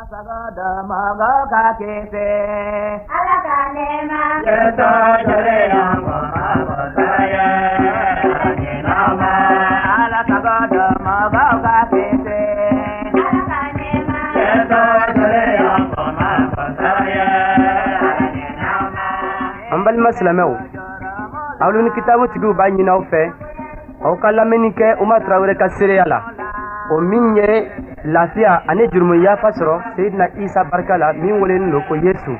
An balima silamɛw, aw ni kitabu tigiw b'a ɲini aw fɛ, aw ka lamɛnni kɛ Umar Tarawele ka seereya la, o min ye lafiya ani jurumu yafa sɔrɔ Seyidina Isa barika la, min welelen don ko Yesu.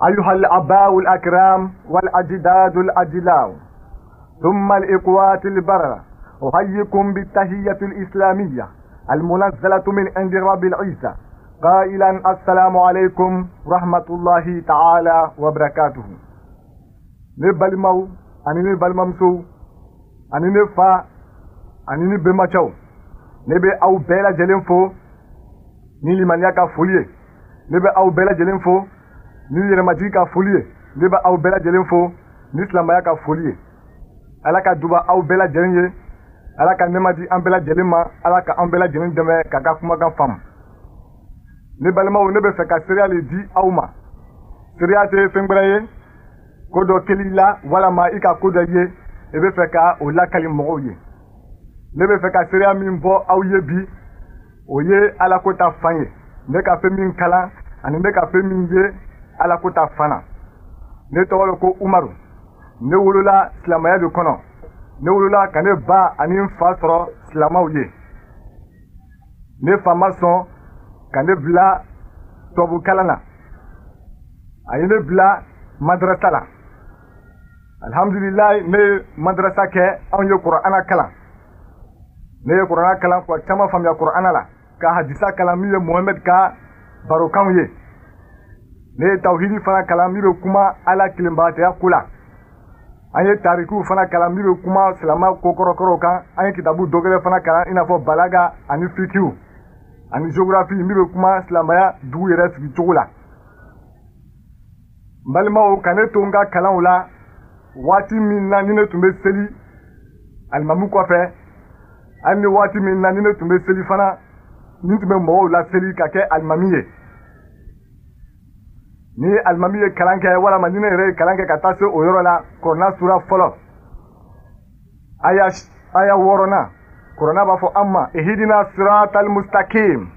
أيها الآباء الأكرام والأجداد الأجلاء ثم الإخوات البررة، أحييكم بالتحية الإسلامية المنزلة من عند رب العزة، قائلا السلام عليكم رحمة الله تعالى وبركاته. Ne balimaw ani ne balimamusow ani ne fa ani ne bɛnbacɛw, ne bɛ aw bɛɛ lajɛlen fo ni limaniya ka foli ye, ne bɛ aw bɛɛ lajɛlen fo ni yɛrɛmajigi ka foli ye, ne bɛ aw bɛɛ lajɛlen fo ni silamɛya ka foli ye. Ala ka duba aw bɛɛ lajɛlen ye, Ala ka nɛɛma di an bɛɛ lajɛlen ma, Ala ka an bɛɛ lajɛlen dɛmɛ k'a ka kumakan faamu. Ne balimaw, ne bɛ fɛ ka seereya le di aw ma. Seereya tɛ fɛn wɛrɛ ye, ko dɔ kɛli la walama i ka ko dɔ ye, i bɛ fɛ ka o lakali mɔgɔw ye. Ne bɛ fɛ ka seereya min bɔ aw ye bi, o ye Ala ko ta fan ye. Ne ka fɛn min kalan ani ne ka fɛn min ye Ala ko ta fan na. Ne tɔgɔ le ko Umaru. Ne wolola silamɛya de kɔnɔ. Ne wolola ka ne ba ani n fa sɔrɔ silamɛw ye. Ne fa ma sɔn ka ne bila tubabukalan na, a ye ne bila madarasa la. Alhamdulilayi, ne ye madarasa kɛ, anw ye Kurana kalan. Ne ye Kurana kalan ka caman faamuya Kurana la, ka hadisa kalan min ye Mohamɛd ka barokanw ye. Ne ye tawhidi fana kalan min bɛ kuma Ala kelenbagatɔya ko la. An ye tarikiw fana kalan min bɛ kuma silamɛ kokɔrɔkɔrɔw kan. An ye kitabu dɔ wɛrɛ fana kalan i n'a fɔ balaga ani fikiw ani géographie min bɛ kuma silamɛya dugu yɛrɛ sigicogo la. N balimaw, ka ne to n ka kalanw la waati min na ni ne tun bɛ seli alimamu kɔfɛ, hali ni waati min na ni ne tun bɛ seli fana, ni tun bɛ mɔgɔw laseli ka kɛ alimami ye. Ni alimami ye kalan kɛ walama ni ne yɛrɛ ye kalan kɛ ka taa se o yɔrɔ la, Kurana sura fɔlɔ aya 6nan, Kurana b'a fɔ an ma ihidina siratal mustakim,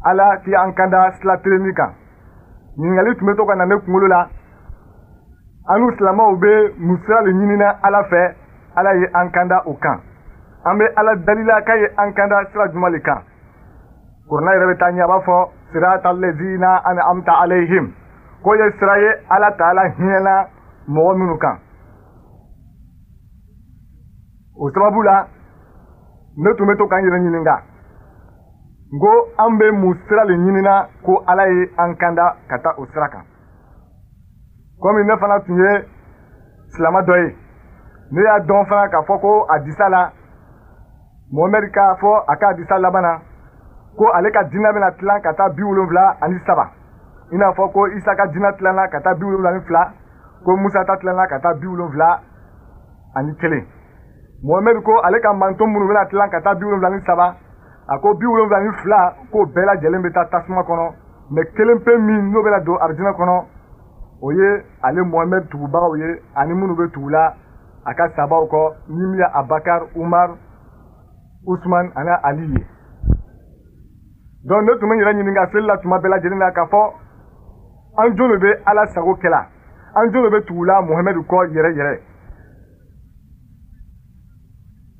Ala k'i an kanda sira tilenni kan. Ɲininkali tun bɛ to ka na ne kunkolo la, an n'u silamɛw bɛ mun sira de ɲinina Ala fɛ, Ala ye an kanda o kan? An bɛ Ala dalila k'a ye an kanda sira jumɛn de kan? Kurana yɛrɛ bɛ taa ɲɛ, a b'a fɔ siratal lezina an'amta alayhim, k'o ye sira ye Ala taala hinɛna mɔgɔ minnu kan. O sababu la, ne tun bɛ to k'an yɛrɛ ɲininka, n ko an bɛ mun sira de ɲinina ko Ala ye an kanda ka taa o sira kan? Komi ne fana tun ye silamɛ dɔ ye, ne y'a dɔn fana k'a fɔ ko hadisa la, Mohamɛdi k'a fɔ a ka hadisa laban na ko ale ka diinɛ bɛna tilan ka taa 73, i n'a fɔ ko Isa ka diinɛ tilanna ka taa 72, ko Musa ta tilanna ka taa 71. Mohamɛdi ko ale ka manton minnu bɛna tilan ka taa 73, a ko 72 k'o bɛɛ lajɛlen bɛ taa tasuma kɔnɔ, mɛ kelen pe min n'o bɛna don arijinɛ kɔnɔ, o ye ale Mohamɛdi tugubagaw ye ani minnu bɛ tugula a ka sabaw kɔ, ni min ye Abakar, Umar, Usman ani Ali ye. Donc ne tun bɛ n yɛrɛ ɲininka seli la tuma bɛɛ lajɛlen na k'a fɔ an jɔn de bɛ Ala sago kɛla, an jɔn de bɛ tugula Mohamɛdi kɔ yɛrɛ yɛrɛ.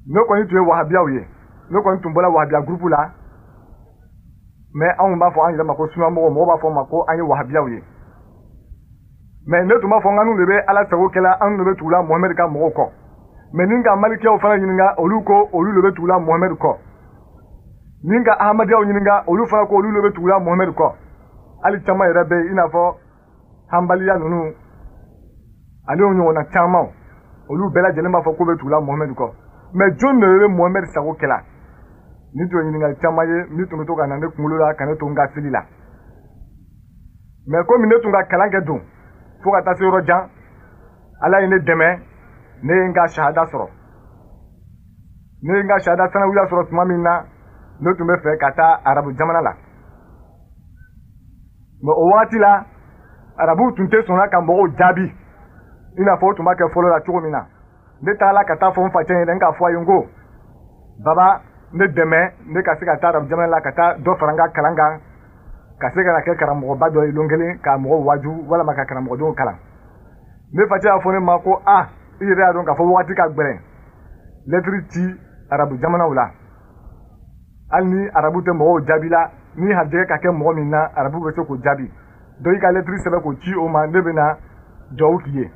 Ne kɔni tun ye wahabiyaw ye, ne kɔni tun bɔra wahabiya gurupu la, mɛ anw b'a fɔ an yɛrɛ ma ko sunamɔgɔw, mɔgɔw b'a fɔ ma ko an ye wahabiyaw ye. Mɛ ne tun b'a fɔ n de bɛ Ala sago kɛla, anw de bɛ tugula Mohamɛdi ka mɔgɔw kɔ. Mɛ ni ka malikiyaw fana ɲininka, olu ko olu de bɛ tugula Mohamɛdi kɔ. Ni ka ahmadiyaw ɲininka, olu fana ko olu de bɛ tugula Mohamɛdi kɔ. Hali caman yɛrɛ bɛ yen i n'a fɔ hanbaliya ninnu ale ɲɔgɔnna caman, olu bɛɛ lajɛlen b'a fɔ k'u bɛ tugula Mohamɛdi kɔ. Mais jɔn de bɛ Mohamɛdi sago kɛla? Ni tun ye ɲininkali caman ye min tun bɛ to ka na ne kunkolo la ka ne to n ka seli la. Mais komi ne tun ka kalan kɛ don fo ka taa se yɔrɔ jan, Ala ye ne dɛmɛ, ne ye n ka shahada sɔrɔ. Ne ye n ka shahada sanawiya sɔrɔ tuma min na, ne tun bɛ fɛ ka taa arabu jamana la. Mais o wagati la, arabuw tun tɛ sɔnna ka mɔgɔw jaabi i n'a fɔ o tun b'a kɛ fɔlɔ la cogo min na. Ne taara ka taa fɔ n facɛ ɲɛna, n k'a fɔ a ye n ko baba, ne dɛmɛ ne ka se ka taa arabu jamana la, ka taa dɔ fara n ka kalan kan, ka se ka na kɛ karamɔgɔba dɔ ye lon kelen, ka mɔgɔw waaju walama ka karamɔgɔdenw kalan. Ne facɛ y'a fɔ ne ma ko a, i yɛrɛ y'a dɔn k'a fɔ wagati ka gbɛrɛn lɛtiri ci arabu jamanaw la, hali ni arabu tɛ mɔgɔw jaabi la, ni harijɛgɛ ka kɛ mɔgɔ min na, arabu bɛ se k'o jaabi. Donc i ka lɛtiri sɛbɛn k'o ci o ma, ne bɛna duwawu k'i ye.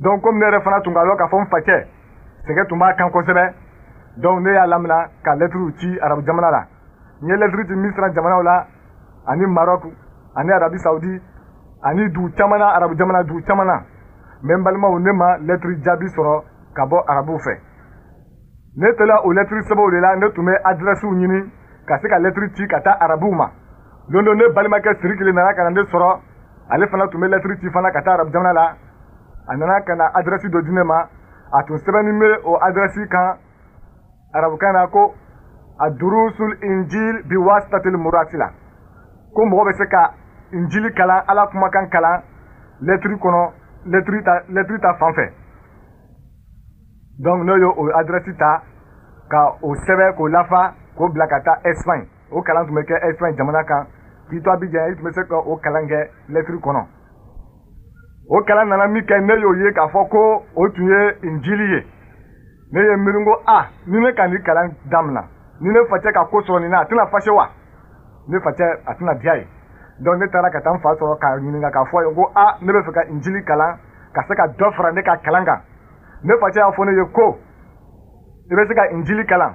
Donc komi ne yɛrɛ fana tun ka dɔn k'a fɔ n facɛ sɛgɛ tun b'a kan kosɛbɛ, donc ne y'a lamina ka lɛtiriw ci arabu jamana la. N ye lɛtiri ci Misira jamanaw la, ani Maroc, ani Arabi Saudi, ani dugu caman na, arabu jamana dugu caman na. Mais n balimaw, ne ma lɛtiri jaabi sɔrɔ ka bɔ arabuw fɛ. Ne tola o lɛtiri sɛbɛnw de la, ne tun bɛ adrɛsiw ɲini ka se ka lɛtiri ci ka taa arabuw ma. Don dɔ, ne balimakɛ Sirikile nana ka na ne sɔrɔ, ale fana tun bɛ lɛtiri ci fana ka taa arabu jamana la. A nana ka na adrɛsi dɔ di ne ma, a tun sɛbɛnni bɛ o adrɛsi kan arabukan na ko adurusul injil biwasitatil murasila, ko mɔgɔ bɛ se ka injili kalan, Ala kumakan kalan lɛtiri kɔnɔ, lɛtiri ta fan fɛ. Donc ne y'o o adrɛsi ta ka o sɛbɛn k'o lafa k'o bila ka taa Espagne. O kalan tun bɛ kɛ Espagne jamana kan. K'i to Abidjan, i tun bɛ se ka o kalan kɛ lɛtiri kɔnɔ. O kalan nana min kɛ, ne y'o ye k'a fɔ ko o tun ye injili ye. Ne ye miiri ko a, ni ne ka nin kalan damina, ni ne facɛ ka ko sɔrɔ nin na, a tɛna fâché wa? Ne facɛ a tɛna diya ye. Donc ne taara ka taa n fa sɔrɔ k'a ɲininka k'a fɔ a ye ko a, ne bɛ fɛ ka injili kalan ka se ka dɔ fara ne ka kalan kan. Ne facɛ y'a fɔ ne ye ko i bɛ se ka injili kalan,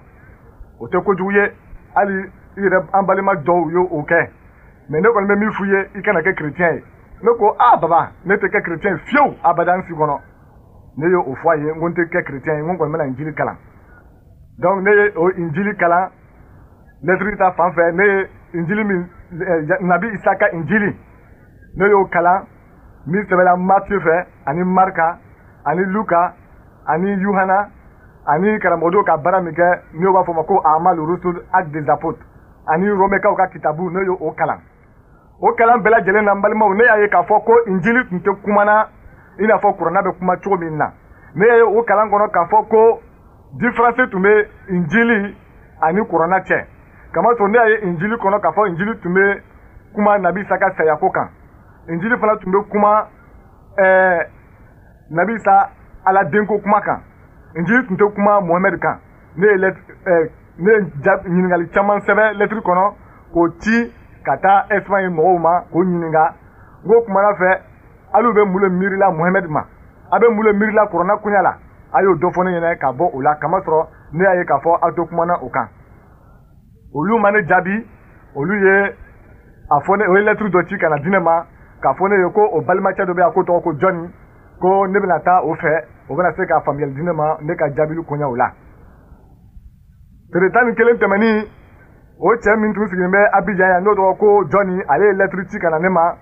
o tɛ kojugu ye, hali i yɛrɛ an balima dɔw ye o kɛ, mais ne kɔni bɛ min f'i ye, i kana kɛ chrétien ye. Ne ko a, baba, ne tɛ kɛ chrétien ye fiyewu, abada n si kɔnɔ. Ne ye o fɔ a ye, n ko n tɛ kɛ chrétien ye, n ko n kɔni bɛna injili kalan. Donc ne ye o injili kalan lɛtiri ta fan fɛ. Ne ye injili min, Nabi Isa ka injili, ne y'o kalan min sɛbɛnna Matthieu fɛ, ani Marka, ani Luka, ani Yuhana, ani karamɔgɔdenw ka baara min kɛ n'o b'a fɔ ma ko Amal Rusul, Actes des Apôtres, ani Romɛkaw ka kitabu, ne y'o kalan. O kalan bɛɛ lajɛlen na, n balimaw, ne y'a ye k'a fɔ ko injili tun tɛ kumana i n'a fɔ kuranna bɛ kuma cogo min na. Ne y'a ye o kalan kɔnɔ k'a fɔ ko différence tun bɛ injili ani kuranna cɛ, kamasɔrɔ ne y'a ye injili kɔnɔ k'a fɔ injili tun bɛ kuma Nabi Isa ka sayako kan, injili fana tun bɛ kuma Nabi Isa Ala denko kuma kan, injili tun tɛ kuma Mohamɛdi kan. Ne ye ɲininkali caman sɛbɛn lɛtiri kɔnɔ k'o ci ka taa Espagne mɔgɔw ma k'o ɲininka. N ko kumana fɛ, hali bɛ mun le miirila Mohamɛdi ma, a bɛ mun le miirila kuranna koɲa la, a y'o dɔ fɔ ne ɲɛna ka bɔ o la, kamasɔrɔ ne y'a ye k'a fɔ aw tɛ kumana o kan. Olu ma ne jaabi. Olu ye a fɔ ne, o ye lɛtiri dɔ ci ka na di ne ma k'a fɔ ne ye ko o balimacɛ dɔ bɛ yan ko tɔgɔ ko Jɔnni, ko ne bɛna taa o fɛ, o bɛna se ka faamuyali di ne ma ne ka jaabili koɲɛw la. Tere 11 tɛmɛnin, o cɛ min tun sigilen bɛ Abidjan yan n'o tɔgɔ ko Jɔnni, ale ye lɛtiri ci ka na ne ma.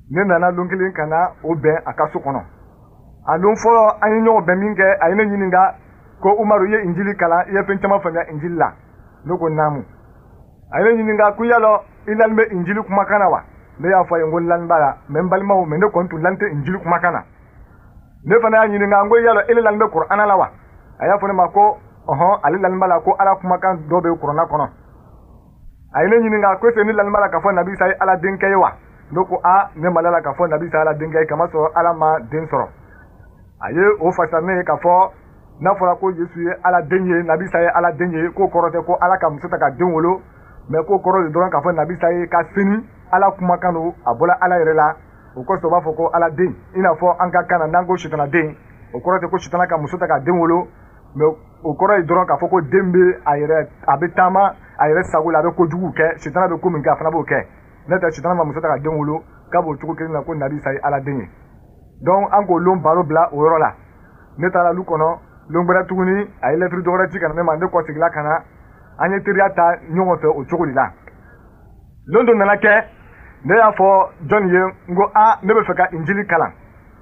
Ne nana lon kelen ka na o bɛn a ka so kɔnɔ. A lon fɔlɔ an ye ɲɔgɔn bɛn min kɛ, a ye ne ɲininka ko Umaru, i ye injili kalan, i ye fɛn caman faamuya injili la? Ne ko naamu. A ye ne ɲininka ko yalɔ i lani bɛ injili kumakan na wa? Ne y'a fɔ a ye n ko n lani b'a la, mais n balimaw, mais ne kɔni tun lani tɛ injili kumakan na. Ne fana y'a ɲininka n ko yalɔ ele lani bɛ kuranna la wa? A y'a fɔ ne ma ko ɔhɔn, ale lani b'a la, ko Ala kumakan dɔ bɛ kuranna kɔnɔ. A ye ne ɲininka ko est-ce que ne lani b'a la k'a fɔ Nabi Isa ye Ala denkɛ ye wa? Ne ko a, ne ma la k'a fɔ Nabi Isa ye Ala denkɛ ye, kamasɔrɔ Ala ma den sɔrɔ. A ye o fasa ne ye k'a fɔ n'a fɔra ko Yesu ye Ala den ye, Nabi Isa ye Ala den ye, k'o kɔrɔ tɛ ko Ala ka muso ta ka den wolo, mais k'o kɔrɔ de dɔrɔn k'a fɔ Nabi Isa ye ka sini Ala kumakan don, a bɔla Ala yɛrɛ la, o kosɔn u b'a fɔ ko Ala den. I n'a fɔ an ka kan na, n'an ko sitana den, o kɔrɔ tɛ ko sitana ka muso ta ka den wolo, mais o kɔrɔ ye dɔrɔn k'a fɔ ko den bɛ a yɛrɛ, a bɛ taama a yɛrɛ sago la, a bɛ kojugu kɛ, sitana bɛ ko min kɛ, a fana b'o kɛ. N'o tɛ sitana ma muso ta ka den wolo, k'a b'o cogo kelen na ko Nabi Isa ye Ala den ye. Donc an k'o lon baro bila o yɔrɔ la. Ne taara lu kɔnɔ. Lon gbɛrɛ tuguni a ye lɛtiri dɔwɛrɛ ci ka na ne ma, ne kɔseginna ka na, an ye teriya ta ɲɔgɔn fɛ o cogo de la. Lon dɔ nana kɛ, ne y'a fɔ jɔnni ye, n ko a ne bɛ fɛ ka injili kalan.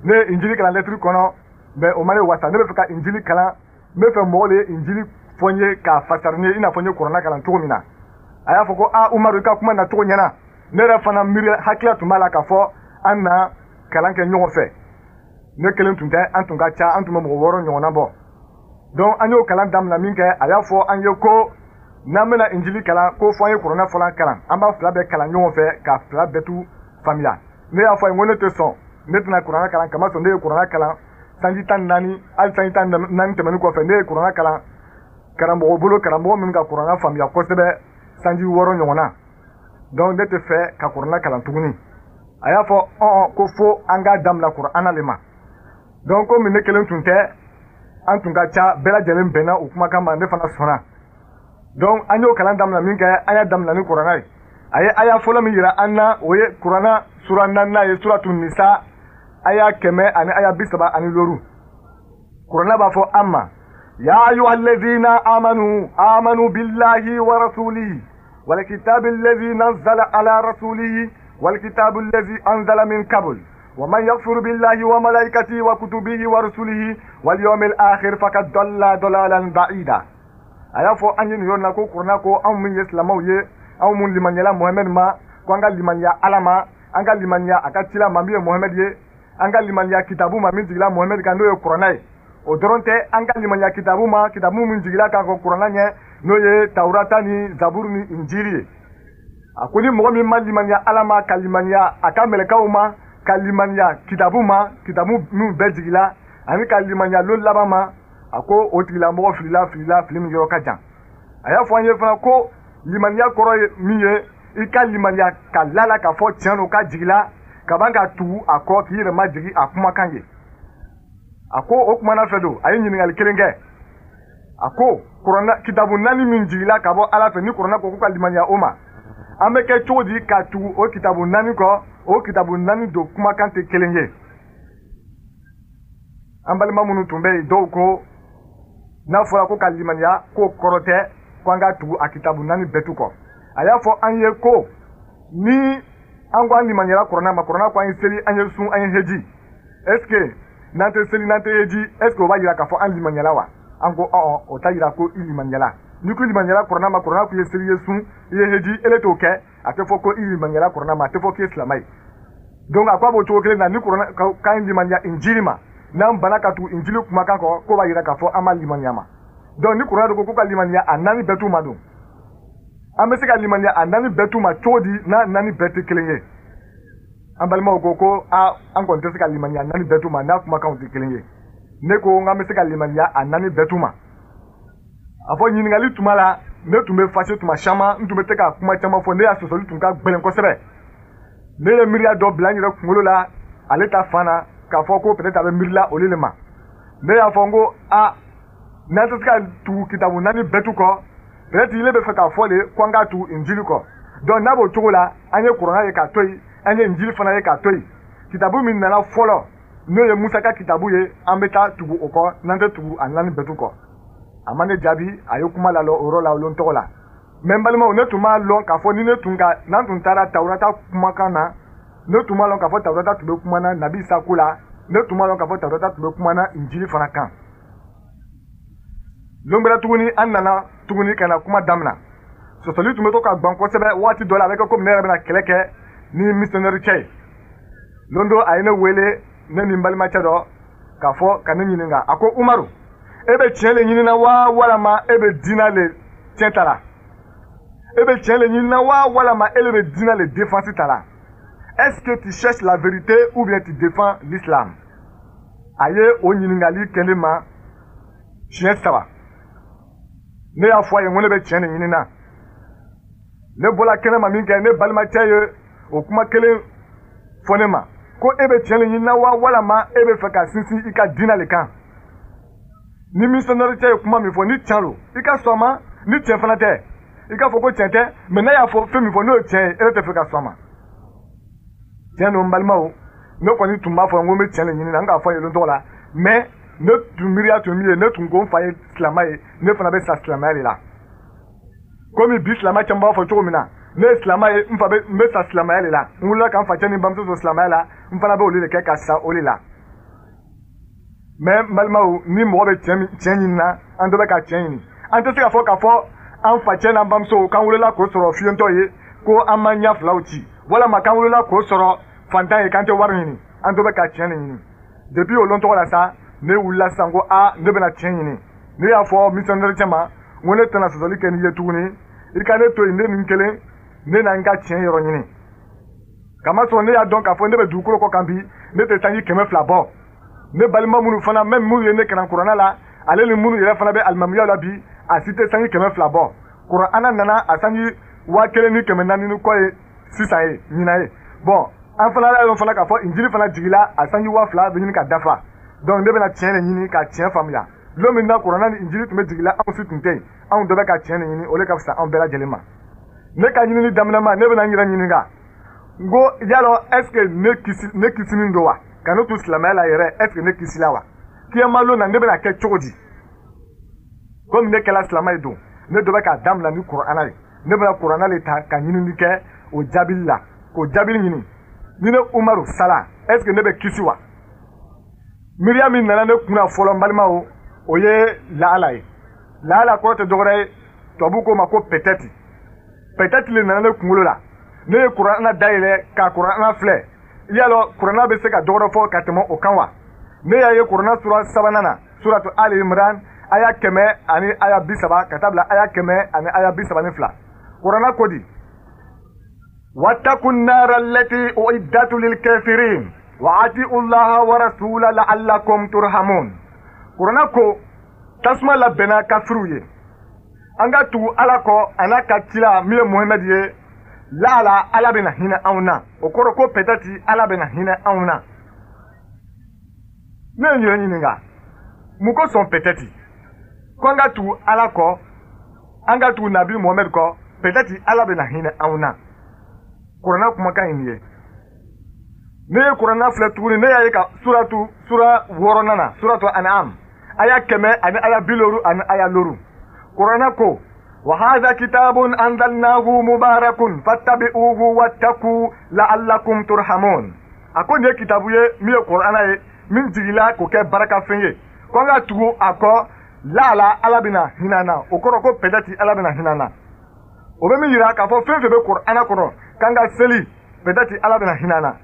Ne ye injili kalan lɛtiri kɔnɔ, mais o ma ne wasa. Ne bɛ fɛ ka injili kalan, n bɛ fɛ mɔgɔ de ye injili fɔ n ye k'a fasari n ye, i n'a fɔ n ye kuranna kalan cogo min na. A y'a fɔ ko a Umaru, i ka kuma nacogo ɲɛna. Ne yɛrɛ fana miiri hakilila tun b'a la k'a fɔ an na kalan kɛ ɲɔgɔn fɛ. Ne kelen tun tɛ, an tun ka ca, an tun bɛ mɔgɔ 6 ɲɔgɔnna bɔ. Donc an y'o kalan daminɛ min kɛ, a y'a fɔ an ye ko n'an bɛna injili kalan, ko fɔ an ye kuranɛ fɔlɔ kalan, an b'a fila bɛɛ kalan ɲɔgɔn fɛ ka fila bɛɛ tu faamuya. Ne y'a fɔ a ye n ko ne tɛ sɔn, ne tɛna kuranɛ kalan, kamasɔrɔ ne ye kuranɛ kalan sanji 14, hali sanji 14 tɛmɛnen kɔfɛ, ne ye kuranɛ kalan karamɔgɔ bolo, karamɔgɔ min ka kuranɛ faamuya kosɛbɛ sanji 6 ɲɔgɔnna. Donc ne tɛ fɛ ka kuranɛ kalan tuguni. A y'a fɔ ɔn ko fo an k'a daminɛ kuranɛ le ma. Donc komi ne kelen tun tɛ, an tun ka ca, bɛɛ lajɛlen bɛnna o kumakan ma, ne fana sɔnna. Donc an y'o kalan daminɛ min kɛ, an y'a daminɛ ni kuranɛ ye. A ye aya fɔlɔ min yira an na, o ye kuranɛ sura 4 ye, suratu nisa, aya 100 ani aya 35. Kuranɛ b'a fɔ an ma: ya ayyuhallazina amanu amanu billahi wa rasulihi wal kitabi allazi nazzala ala rasulihi wal kitabi allazi anzala min qabl wa man yakfur billahi wa malaikatihi wa kutubihi wa rusulihi wal yawmil akhir faqad dalla dalalan ba'ida. A y'a fɔ an ye nin yɔrɔ la ko kuranɛ ko anw min ye silamɛw ye, anw mun limaniyala Muhamɛdi ma, ko an ka limaniya Ala ma, an ka limaniya a ka cila ma min ye Muhamɛdi ye, an ka limaniya kitabu ma min jigila Muhamɛdi kan, n'o ye kuranɛ ye. O dɔrɔn tɛ, an ka limaniya kitabu ma, kitabu min jigila k'a kɔn kuranɛ ɲɛ, n'o ye Tawurata ni Zaburu ni Injili ye. A ko ni mɔgɔ min ma limaniya Ala ma, ka limaniya a ka mɛlɛkaw ma, ka limaniya kitabu ma, kitabu minnu bɛɛ jigila, ani ka limaniya lon laban ma, a ko o tigilamɔgɔ filila, filila, fili min yɔrɔ ka jan. A y'a fɔ an ye fana ko limaniya kɔrɔ ye min ye, i ka limaniya ka lala k'a fɔ tiɲɛ don k'a jigila, ka ban ka tugu a kɔ, k'i yɛrɛ majigin a kumakan ye. A ko o kumana fɛ don, a ye ɲininkali kelen kɛ. A ko kuranɛ kitabu 4 min jigila ka bɔ Ala fɛ, ni kuranɛ ko k'u ka limaniya o ma, an bɛ kɛ cogo di ka tugu o kitabu 4 kɔ? O kitabu 4 don kumakan tɛ kelen ye. An balima minnu tun bɛ yen, dɔw ko n'a fɔra ko ka limaniya, k'o kɔrɔ tɛ ko an ka tugu a kitabu 4 bɛɛ tu kɔ. A y'a fɔ an ye ko ni an ko an limaniyara kuranɛ ma, kuranɛ ko an ye seli, an ye sun, an ye heji, est ce que n'an tɛ seli, n'an tɛ heji, est ce que o b'a yira k'a fɔ an limaniyala wa? An ko ɔn, o t'a yira ko i limaniyala. N'i ko i limaniyala kuranɛ ma, kuranɛ ko i ye seli, i ye sun, i ye heji, ele t'o kɛ, a tɛ fɔ ko i limaniyala kuranɛ ma, a tɛ fɔ k'i ye silamɛ ye. Donc a ko a b'o cogo kelen na, ni kuranɛ k'an limaniya injili ma, n'an banna ka tugu injili kumakan kɔ, k'o b'a yira k'a fɔ an ma limaniya ma. Donc ni kuranɛ ko k'u ka limaniya a 4 bɛɛ t'u ma don, an bɛ se ka limaniya a 4 bɛɛ t'u ma cogo di n'a 4 bɛɛ tɛ kelen ye? An balimaw ko ko a an kɔni tɛ se ka limaniya 4 bɛɛ t'u ma n'a kumakanw tɛ kelen ye. Ne ko n k'an bɛ se ka limaniya a 4 bɛɛ t'u ma. A fɔ ɲininkali tuma la, ne tun bɛ fâché tuma caman, n tun bɛ se ka kuma caman fɔ, ne y'a sɔsɔli tun ka gɛlɛn kosɛbɛ. Ne ye miiriya dɔ bila n yɛrɛ kunkolo la ale ta fan na, k'a fɔ ko peut-être a bɛ miirila olu de ma. Ne y'a fɔ n ko a n'an tɛ se ka tugu kitabu 4 bɛɛ tu kɔ, peut-être ile bɛ fɛ k'a fɔ de ko an k'a tugu injili kɔ. Donc n'a b'o cogo la, an ye kuranɛ ye k'a to yen, an ye injili fana ye k'a to yen. Kitabu min nana fɔlɔ, n'o ye Musa ka kitabu ye, an bɛ taa tugu o kɔ, n'an tɛ tugu a 4 bɛɛ tu kɔ. A ma ne jaabi, a ye kuma lalɔ o yɔrɔ la, o lon tɔgɔ la. Mais n balimaw, ne tun b'a lɔn k'a fɔ ni ne tun ka n'an tun taara Tawurata kumakan na, ne tun b'a lɔn k'a fɔ Tawurata tun bɛ kuma na Nabi Isa ko la, ne tun b'a lɔn k'a fɔ Tawurata tun bɛ kuma na Injili fana kan. Lon gbɛrɛ tuguni, an nana tuguni ka na kuma damina. Sɔsɔli tun bɛ to ka gan kosɛbɛ. Waati dɔ la, a bɛ kɛ komi ne yɛrɛ bɛna kɛlɛ kɛ ni missionnaire cɛ ye. Lon dɔ a ye ne wele, ne ni n balimacɛ dɔ, k'a fɔ ka ne ɲininka. A ko Umaru, e bɛ tiɲɛ le ɲinina wa, walama e bɛ diinɛ le tiɲɛ ta la? E bɛ tiɲɛ le ɲinina wa, walama e le bɛ diinɛ le défense ta la? Est-ce que tu cherches la vérité ou bien tu défends l'islam? A ye o ɲininkali kɛ ne ma siɲɛ 3. Ne y'a fɔ a ye n ko ne bɛ tiɲɛ de ɲinina. Ne bɔra kɛnɛ ma min kɛ, ne balimacɛ ye o kuma kelen fɔ ne ma ko e bɛ tiɲɛ de ɲinina wa, walama e bɛ fɛ ka sinsin i ka diinɛ le kan? Ni missionnaire cɛ ye kuma min fɔ, ni tiɲɛ don, i ka sɔn a ma. Ni tiɲɛ fana tɛ, i k'a fɔ ko tiɲɛ tɛ. Mais n'a y'a fɔ fɛn min fɔ, n'o ye tiɲɛ ye, e tɛ fɛ ka sɔn a ma. Tiɲɛ don, n balimaw, ne kɔni tun b'a fɔ n ko n bɛ tiɲɛ de ɲini na, n k'a fɔ a ye tɔgɔ la, mais Ne tun miiriya tun min ye, ne tun ko n fa ye silamɛ ye, ne fana bɛ sa silamɛya de la. Komi bi silamɛ caman b'a fɔ cogo min na, ne ye silamɛ ye, n fa bɛ, n bɛ sa silamɛya de la. N wulila ka n facɛ ni n bamuso to silamɛya la, n fana bɛ olu de kɛ ka sa o de la. Mais n balimaw, ni mɔgɔ bɛ tiɲɛ ɲini na, an dɔ bɛ ka tiɲɛ ɲini. An tɛ se k'a fɔ k'a fɔ an facɛ n'an bamuso k'an wolola k'o sɔrɔ fiyentɔ ye, ko an ma ɲɛ filaw ci, walama k'an wolola k'o sɔrɔ fantan ye, k'an tɛ wari ɲini. An dɔ bɛ ka tiɲɛ de ɲini. Depuis o lon tɔgɔ la sa, ne wulila sisan ko a ne bɛna tiɲɛ ɲini. Ne y'a fɔ missionnaire cɛ ma, n ko ne tɛna sɔsɔli kɛ n'i ye tuguni, i ka ne to yen, ne ni n kelen, ne na n ka tiɲɛ yɔrɔ ɲini. Kamasɔrɔ ne y'a dɔn k'a fɔ ne bɛ dugukolo kɔ kan bi, ne tɛ sanji 200 bɔ. Ne balima minnu fana, même minnu ye ne kalan kuranna la, ale ni minnu yɛrɛ fana bɛ alimamiya la bi, a si tɛ sanji 200 bɔ. Kuranna nana a sanji 1400 ni kɔ ye sisan ye, ɲinan ye. Bon, an fana y'a dɔn fana k'a fɔ injili fana jigila a sanji 2000 bɛ ɲini ka dafa. Donc ne bɛna tiɲɛ de ɲini ka tiɲɛ faamuya. Lon min na kuranna ni injili tun bɛ jigila, anw si tun tɛ yen. Anw dɔ bɛ ka tiɲɛ de ɲini, o de ka fisa anw bɛɛ lajɛlen ma. Ne ka ɲinini daminɛ ma, ne bɛna n yɛrɛ ɲininka. N ko yalɔ est ce que ne kisinin don wa? Ka ne to silamɛya la yɛrɛ, est ce que ne kisila wa? Kiyama lon na ne bɛna kɛ cogo di? Komi ne kɛla silamɛ ye don, ne dɔ bɛ k'a daminɛ ni kuranna ye. Ne bɛna kuranna de ta ka ɲinini kɛ o jaabili la, k'o jaabili ɲini. Ni ne Umaru sala, est ce que ne bɛ kisi wa? Miiriya min nana ne kunna fɔlɔ, n balimaw, o ye laala ye. Laala kɔrɔ tɛ dɔwɛrɛ ye, tubabu k'o ma ko peut-être. Peut-être le nana ne kunkolo la. Ne ye kuranna dayɛlɛ ka kuranna filɛ. Yalɔ kuranna bɛ se ka dɔwɛrɛ fɔ ka tɛmɛ o kan wa? Ne y'a ye kuranna sura 3nan na, suratu Ali Imran, aya 100 ani aya 30 ka taa bila aya 100 ani aya 32. Kuranna ko di? Wattaqu nara allati uiddat lil kafirin wa atiu llaha wa rasula la'allakum turhamun. Kuranna ko tasuma labɛnna kafiriw ye. An ka tugu Ala kɔ a n'a ka cila min ye Muhamɛdi ye, laala Ala bɛna hinɛ anw na. O kɔrɔ ko peut-être Ala bɛna hinɛ anw na. Ne ye n yɛrɛ ɲininka, mun kosɔn peut-être ko an ka tugu Ala kɔ, an ka tugu Nabi Muhamɛdi kɔ, peut-être Ala bɛna hinɛ anw na? Kuranna kumakan ye nin ye. Ne ye kuranna filɛ tuguni, ne y'a ye ka suratu sura 6nan na, suratu An'am, aya 100 ani aya 50 ani aya 5. Kuranna ko wa hadha kitabun anzalnahu mubarakun fattabi'uhu wattaqu la'allakum turhamun. A ko nin ye kitabu ye min ye kuranna ye, min jigila k'o kɛ barakafɛn ye, ko an ka tugu a kɔ, laala Ala bɛna hinɛ an na. O kɔrɔ ko peut-être Ala bɛna hinɛ an na. O bɛ min yira k'a fɔ fɛn fɛn bɛ kuranna kɔnɔ, k'an ka seli, peut-être Ala bɛna hinɛ an na.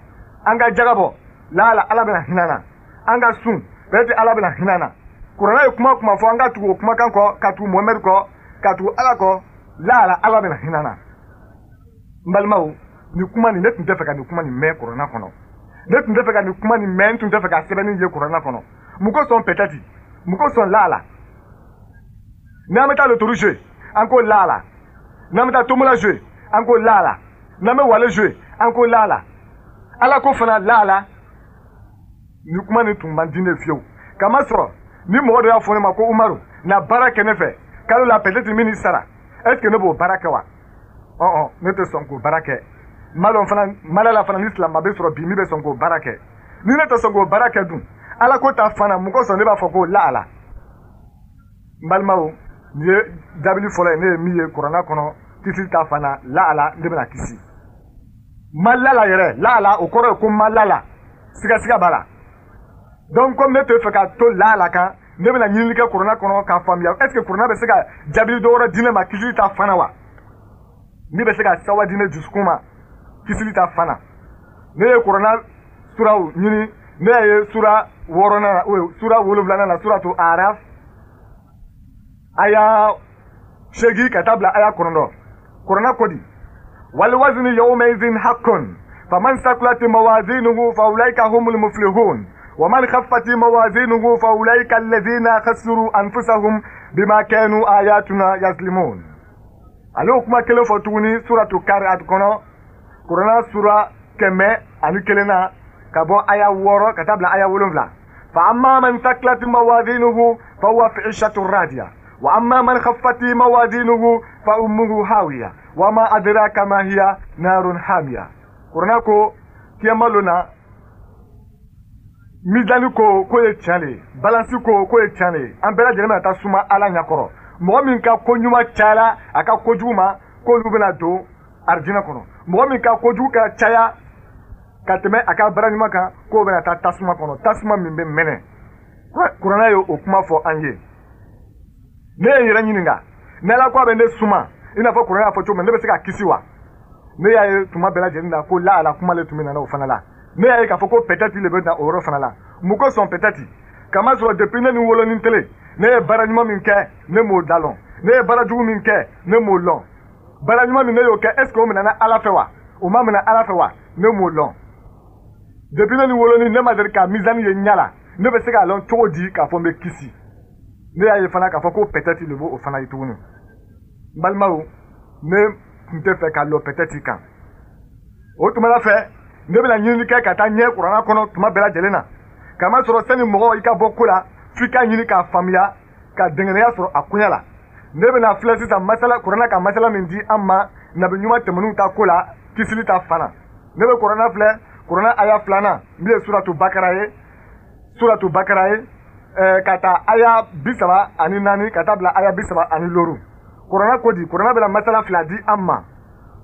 An ka jaga bɔ, laala Ala bɛna hinɛ an na. An ka sun, peut-être Ala bɛna hinɛ an na. Kuranna ye kuma kuma fɔ, an ka tugu o kumakan kɔ, ka tugu Muhamɛdi kɔ, ka tugu Ala kɔ, laala Ala bɛna hinɛ an na. N balimaw, nin kuma nin, ne tun tɛ fɛ ka nin kuma nin mɛn kuranna kɔnɔ. Ne tun tɛ fɛ ka nin kuma nin mɛn, n tun tɛ fɛ ka sɛbɛnni ye kuranna kɔnɔ. Mun kosɔn peut-être? Mun kosɔn laala? N'an bɛ taa lotori jouer, an ko laala. N'an bɛ taa tomola jouer, an ko laala. N'an bɛ wale jouer, an ko laala. Ala ko fana laala. Nin kuma nin tun man di ne fiyewu. Kamasɔrɔ ni mɔgɔ dɔ y'a fɔ ne ma ko Umaru, na baara kɛ ne fɛ kalo la, peut-être min sara, est ce que ne b'o baara kɛ wa? Ɔn, ne tɛ sɔn k'o baara kɛ. N b'a dɔn fana, malala fana ni silamɛ bɛ sɔrɔ bi min bɛ sɔn k'o baara kɛ. Ni ne tɛ sɔn k'o baara kɛ dun, Ala ko ta fana, mun kosɔn ne b'a fɔ ko laala? N balimaw, nin ye jaabili fɔlɔ ye ne ye min ye kuranna kɔnɔ, kisili ta fana, laala ne bɛna kisi. Ma lala yɛrɛ, laala o kɔrɔ ye ko ma lala, sigasiga b'a la. Donc comme ne tɛ fɛ ka to laala kan, ne bɛna ɲinini kɛ kuranna kɔnɔ k'a faamuya, est ce que kuranna bɛ se ka jaabili dɔ wɛrɛ di ne ma kisili ta fana wa? Ne bɛ se ka sawa di ne dusukun ma kisili ta fana. Ne ye kuranna suraw ɲini, ne y'a ye sura 6nan na, sura 7nan na, suratu Araf, aya 8 ka taa bila aya 9. Kuranna ko di? Wal wazni yawmaidhin haqqun faman sakulat mawazinuhu fa ulaika humul muflihun wa man khaffat mawazinuhu fa ulaika alladhina khasiru anfusahum bima kanu ayatuna yazlimun. Ale o kuma kelen fɔ tuguni suratu Kariat kɔnɔ, kuranna sura 101 na, ka bɔ aya 6 ka taa bila aya 7. Fa amma man sakulat mawazinuhu fa huwa fi 'ishatin radiya wa amma man khaffat mawazinuhu fa ummuhu hawiya wa ma adraka ma hiya narun hamiya. Kuranna ko kiyama lon na Mizani ko k'o ye tiɲɛ de ye, balansi ko k'o ye tiɲɛ de ye. An bɛɛ lajɛlen bɛna taa suma Ala ɲɛkɔrɔ. Mɔgɔ min ka ko ɲuman cayara a ka kojugu ma, k'olu bɛna don arijinɛ kɔnɔ. Mɔgɔ min ka kojugu ka caya ka tɛmɛ a ka baara ɲuman kan, k'o bɛna taa tasuma kɔnɔ, tasuma min bɛ mɛnɛ. Kuranɛ ye o kuma fɔ an ye. Ne ye n yɛrɛ ɲininka, ni Ala ko a bɛ ne suma i n'a fɔ kuranɛ y'a fɔ cogo min, ne bɛ se ka kisi wa? Ne y'a ye tuma bɛɛ lajɛlen na ko la ala kuma le tun bɛ na o fana la. Ne y'a ye k'a fɔ ko peut-être le bɛ na o yɔrɔ fana la. Mun kosɔn peut-être? Kamasɔrɔ depuis ne ni wolonin tele, ne ye baara ɲuman min kɛ, ne m'o da lɔn. Ne ye baara jugu min kɛ, ne m'o lɔn. Baara ɲuman min ne y'o kɛ, est ce que o minɛna Ala fɛ wa? O ma minɛ Ala fɛ wa? Ne m'o lɔn. Depuis ne ni wolonin, ne ma deli ka mizani ye ɲɛ la. Ne bɛ se k'a lɔn cogo di k'a fɔ n bɛ kisi? Ne y'a ye fana k'a fɔ ko peut-être le b'o fana ye tuguni. N balimaw, ne tun tɛ fɛ ka lɔ peut-être kan. O tuma la fɛ, ne bɛna ɲinini kɛ ka taa ɲɛ kuranna kɔnɔ tuma bɛɛ lajɛlen na. Kamasɔrɔ sani mɔgɔ i ka bɔ ko la, f'i ka ɲini k'a faamuya, ka dɛngɛnɛya sɔrɔ a koɲɛ la. Ne bɛna filɛ sisan masala kuranna ka masala min di an ma nabi ɲuman tɛmɛnenw ta ko la, kisili ta fan na. Ne bɛ kuranna filɛ, kuranna aya filanan min ye suratu Bakara ye, suratu Bakara ye, ka taa aya 34 ka taa bila aya 35. Kuranna ko di? Kuranna bɛna masala fila di an ma.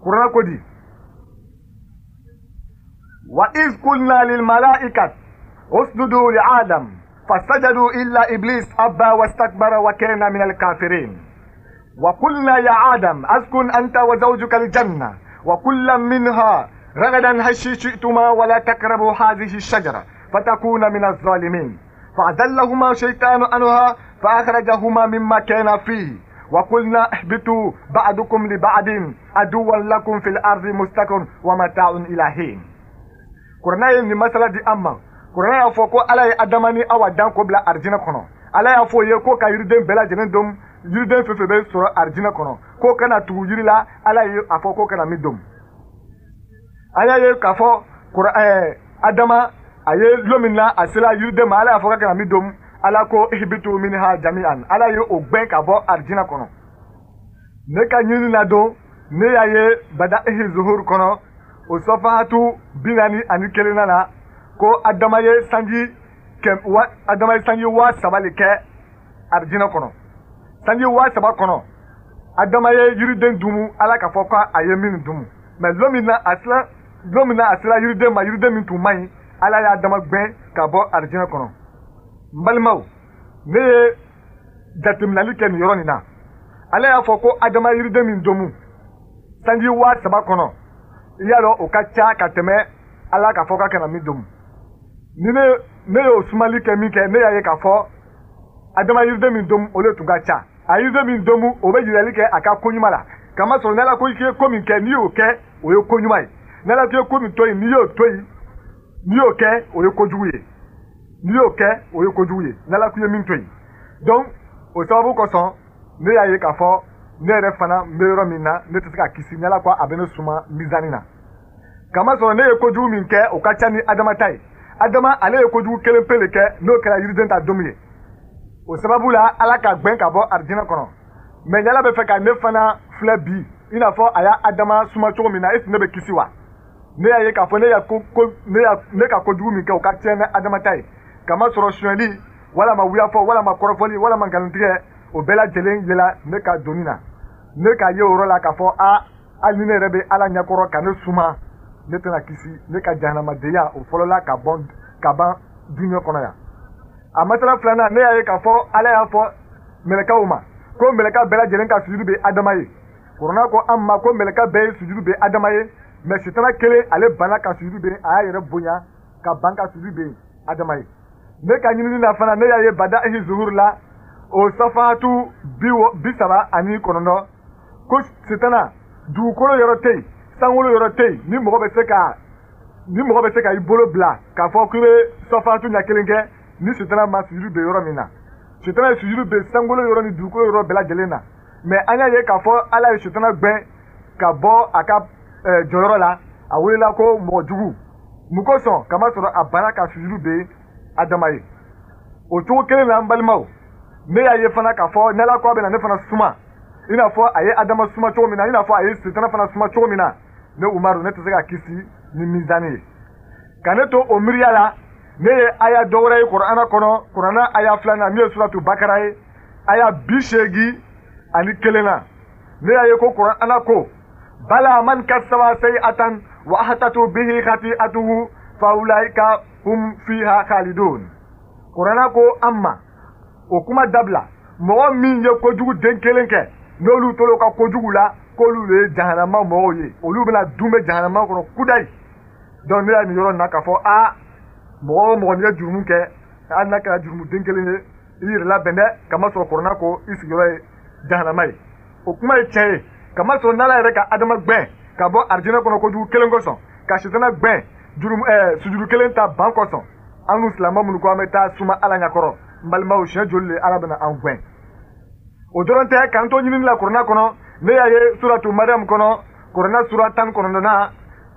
Kuranna ko di? Wa iz qulna lil malaikati usjudu li Adam fasajadu illa iblis abba wastakbara wa kana min al kafirin. Wa qulna ya Adam askun anta wa zawjuka al janna wa kullan minha ragadan haythu shi'tuma wa la taqrabu hadhihi ash-shajara fatakuna min adh-dhalimin. فأذلهما الشيطان عنها فأخرجهما مما كان فيه وقلنا اهبطوا بعضكم لبعض عدوا لكم في الأرض مستقر ومتاع إلى حين. Kuranɛ ye nin masala di an ma. Kuranɛ y'a fɔ ko Ala ye Adama ni Awa dan k'o bila arijinɛ kɔnɔ. Ala y'a fɔ o ye ko ka yiriden bɛɛ lajɛlen dun, yiriden fɛn fɛn bɛ sɔrɔ arijinɛ kɔnɔ, k'o kana tugu yiri la. Ala ye a fɔ k'o kana min dun. An y'a ye k'a fɔ Adama a ye lon min na a sera yiriden ma, Ala y'a fɔ k'a kana min dun. Ala ko ihbitu minha jami'an. Ala ye o gbɛn ka bɔ arijinɛ kɔnɔ. Ne ka ɲini na don, ne y'a ye Bada'ihi Zuhur kɔnɔ, o sɔfahatu 41 na, ko Adama ye sanji Adama ye sanji 3000 le kɛ arijinɛ kɔnɔ. Sanji 3000 kɔnɔ, Adama ye yiriden dumu, Ala k'a fɔ k'a ye min dumu. Mais lon min na a sera, lon min na a sera yiriden ma, yiriden min tun man ɲi, Ala y'a Adama gbɛn ka bɔ arijinɛ kɔnɔ. N balimaw, ne ye jateminɛli kɛ nin yɔrɔ nin na. Ala y'a fɔ ko Adama yiriden min domu sanji 3000 kɔnɔ, i y'a dɔn o ka ca ka tɛmɛ Ala k'a fɔ k'a kana min domu. Ni ne y'o sumali kɛ min kɛ, ne y'a ye k'a fɔ Adama yiriden min domu, o de tun ka ca. A yiriden min domu, o bɛ yirali kɛ a ka ko ɲuman la. Kamasɔrɔ n'Ala ko i ye ko min kɛ, n'i y'o kɛ, o ye ko ɲuman ye. N'Ala ko i ye ko min to yen, n'i y'o to yen, n'i y'o kɛ, o ye kojugu ye. N'i y'o kɛ, o ye kojugu ye. N'Ala ko i ye min to yen. Donc o sababu kosɔn, ne y'a ye k'a fɔ ne yɛrɛ fana n bɛ yɔrɔ min na, ne tɛ se ka kisi n'Ala ko a bɛ ne suma mizani na. Kamasɔrɔ ne ye kojugu min kɛ, o ka ca ni Adama ta ye. Adama ale ye kojugu kelen pe le kɛ, n'o kɛra yiriden ta domu ye. O sababu la, Ala ka gbɛn ka bɔ arijinɛ kɔnɔ. Mais n'Ala bɛ fɛ ka ne fana filɛ bi, i n'a fɔ a y'a Adama suma cogo min na, est ce que ne bɛ kisi wa? Ne y'a ye k'a fɔ ne ka kojugu min kɛ, o ka ca ni Adama ta ye. Kamasɔrɔ sonyɛli, walama wuyafɔ, walama kɔrɔfɔli, walama nkalontigɛ, o bɛɛ lajɛlen yela ne ka doni na. Ne k'a ye o yɔrɔ la k'a fɔ a hali ni ne yɛrɛ bɛ Ala ɲɛkɔrɔ ka ne suma, ne tɛna kisi. Ne ka jahanamadenya o fɔlɔla ka bɔ ka ban dunuya kɔnɔ yan. A masala filanan, ne y'a ye k'a fɔ Ala y'a fɔ mɛlɛkɛw ma ko mɛlɛkɛ bɛɛ lajɛlen ka sujudu bɛ Adama ye. Kuranɛ ko an ma ko mɛlɛkɛ bɛɛ ye sujudu bɛ Adama ye, mais sitana kelen ale banna ka sujudu bɛ, a y'a yɛrɛ bonya ka ban ka sujudu bɛ Adama ye. Ne ka ɲinini na fana, ne y'a ye Bada'ihi Zuhur la, o safahatu 39, ko sitana dugukolo yɔrɔ tɛ yen, sankolo yɔrɔ tɛ yen, ni mɔgɔ bɛ se ka ni mɔgɔ bɛ se ka i bolo bila k'a fɔ k'i bɛ safahatu ɲɛ kelen kɛ ni sitana ma sujudu bɛ yɔrɔ min na. Sitana ye sujudu bɛ sankolo yɔrɔ ni dugukolo yɔrɔ bɛɛ lajɛlen na. Mais an y'a ye k'a fɔ Ala ye sitana gbɛn ka bɔ a ka jɔyɔrɔ la, a welela ko mɔgɔ jugu. Mun kosɔn? Kamasɔrɔ a banna ka sujudu bɛ Adama ye. O cogo kelen na, n balimaw, ne y'a ye fana k'a fɔ n'Ala ko a bɛna ne fana suma, i n'a fɔ a ye Adama suma cogo min na, i n'a fɔ a ye sitana fana suma cogo min na, ne Umaru ne tɛ se ka kisi ni mizani ye. Ka ne to o miiriya la, Ne ye aya dɔ wɛrɛ ye Kurana kɔnɔ, Kurana aya 2 min ye suratu Bakara ye, aya 81 na. Ne y'a ye ko Kurana ko bala man kasaba sayi'atan wa ahatatu bihi khati'atuhu fa ulaika hum fiha khalidun. Kurana ko an ma o kuma dabila, mɔgɔ min ye kojugu den kelen kɛ n'olu tor'o ka kojugu la, k'olu de ye jahanama mɔgɔw ye, olu bɛna dun bɛ jahanama kɔnɔ kudayi. Donc ne y'a nin yɔrɔ in na k'a fɔ a mɔgɔ o mɔgɔ n'i ye jurumu kɛ, hali n'a kɛra jurumu den kelen ye, i yɛrɛ labɛn dɛ, kamasɔrɔ Kurana ko i sigiyɔrɔ ye jahanama ye. O kuma ye tiɲɛ ye, kamasɔrɔ n'Ala yɛrɛ ka Adama gbɛn ka bɔ arijinɛ kɔnɔ kojugu kelen kosɔn, ka sitana gbɛn jurumu sujuru kelen ta ban kosɔn, an n'u silamɛ minnu ko an bɛ taa suma Ala ɲɛkɔrɔ, n balimaw, siɲɛ joli de Ala bɛna an gbɛn? O dɔrɔn tɛ, k'an to ɲinini la Kurana kɔnɔ, ne y'a ye suratu Mariam kɔnɔ, Kurana sura 19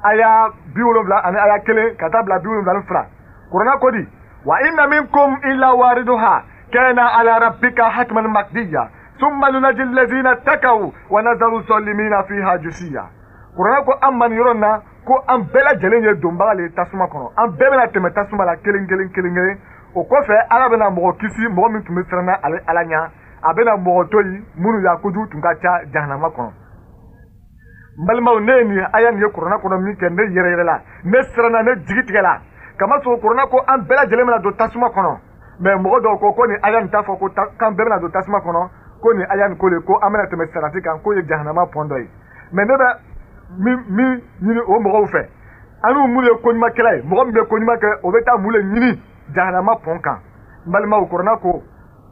aya 70 ani aya 1 ka taa bila 72. Kurana ko di wa inna minkum illa wariduha kana ala rabbika hatman maqdiya summa nunaji allazina takaw wa nazaru zalimina fiha jusiya. Kurana ko an ma nin yɔrɔ in na ko an bɛɛ lajɛlen ye donbaga le ye tasuma kɔnɔ, an bɛɛ bɛna tɛmɛ tasuma la kelen kelen kelen kelen. O kɔfɛ Ala bɛna mɔgɔ kisi, mɔgɔ min tun bɛ siran ale Ala ɲɛ, a bɛna mɔgɔ to yen minnu y'a kojugu tun ka ca jahanama kɔnɔ. N balimaw, ne ye nin aya nin ye Kurana kɔnɔ min kɛ, ne yɛrɛ yɛrɛ la, ne siranna, ne jigi tigɛla, kamasɔrɔ Kurana ko an bɛɛ lajɛlen bɛna don tasuma kɔnɔ. Mɛ mɔgɔ dɔw ko ko nin aya nin t'a fɔ ko k'an bɛɛ bɛna don tasuma kɔnɔ, ko nin aya nin ko de ko an bɛna tɛmɛ sarati kan, k'o ye jahanama pɔn dɔ ye. Mɛ ne bɛ min ɲini o mɔgɔw fɛ, an n'u minnu ye koɲumankɛla ye, mɔgɔ min bɛ koɲuman kɛ, o bɛ taa mun de ɲini jahanama pɔn kan? N balimaw, Kurana ko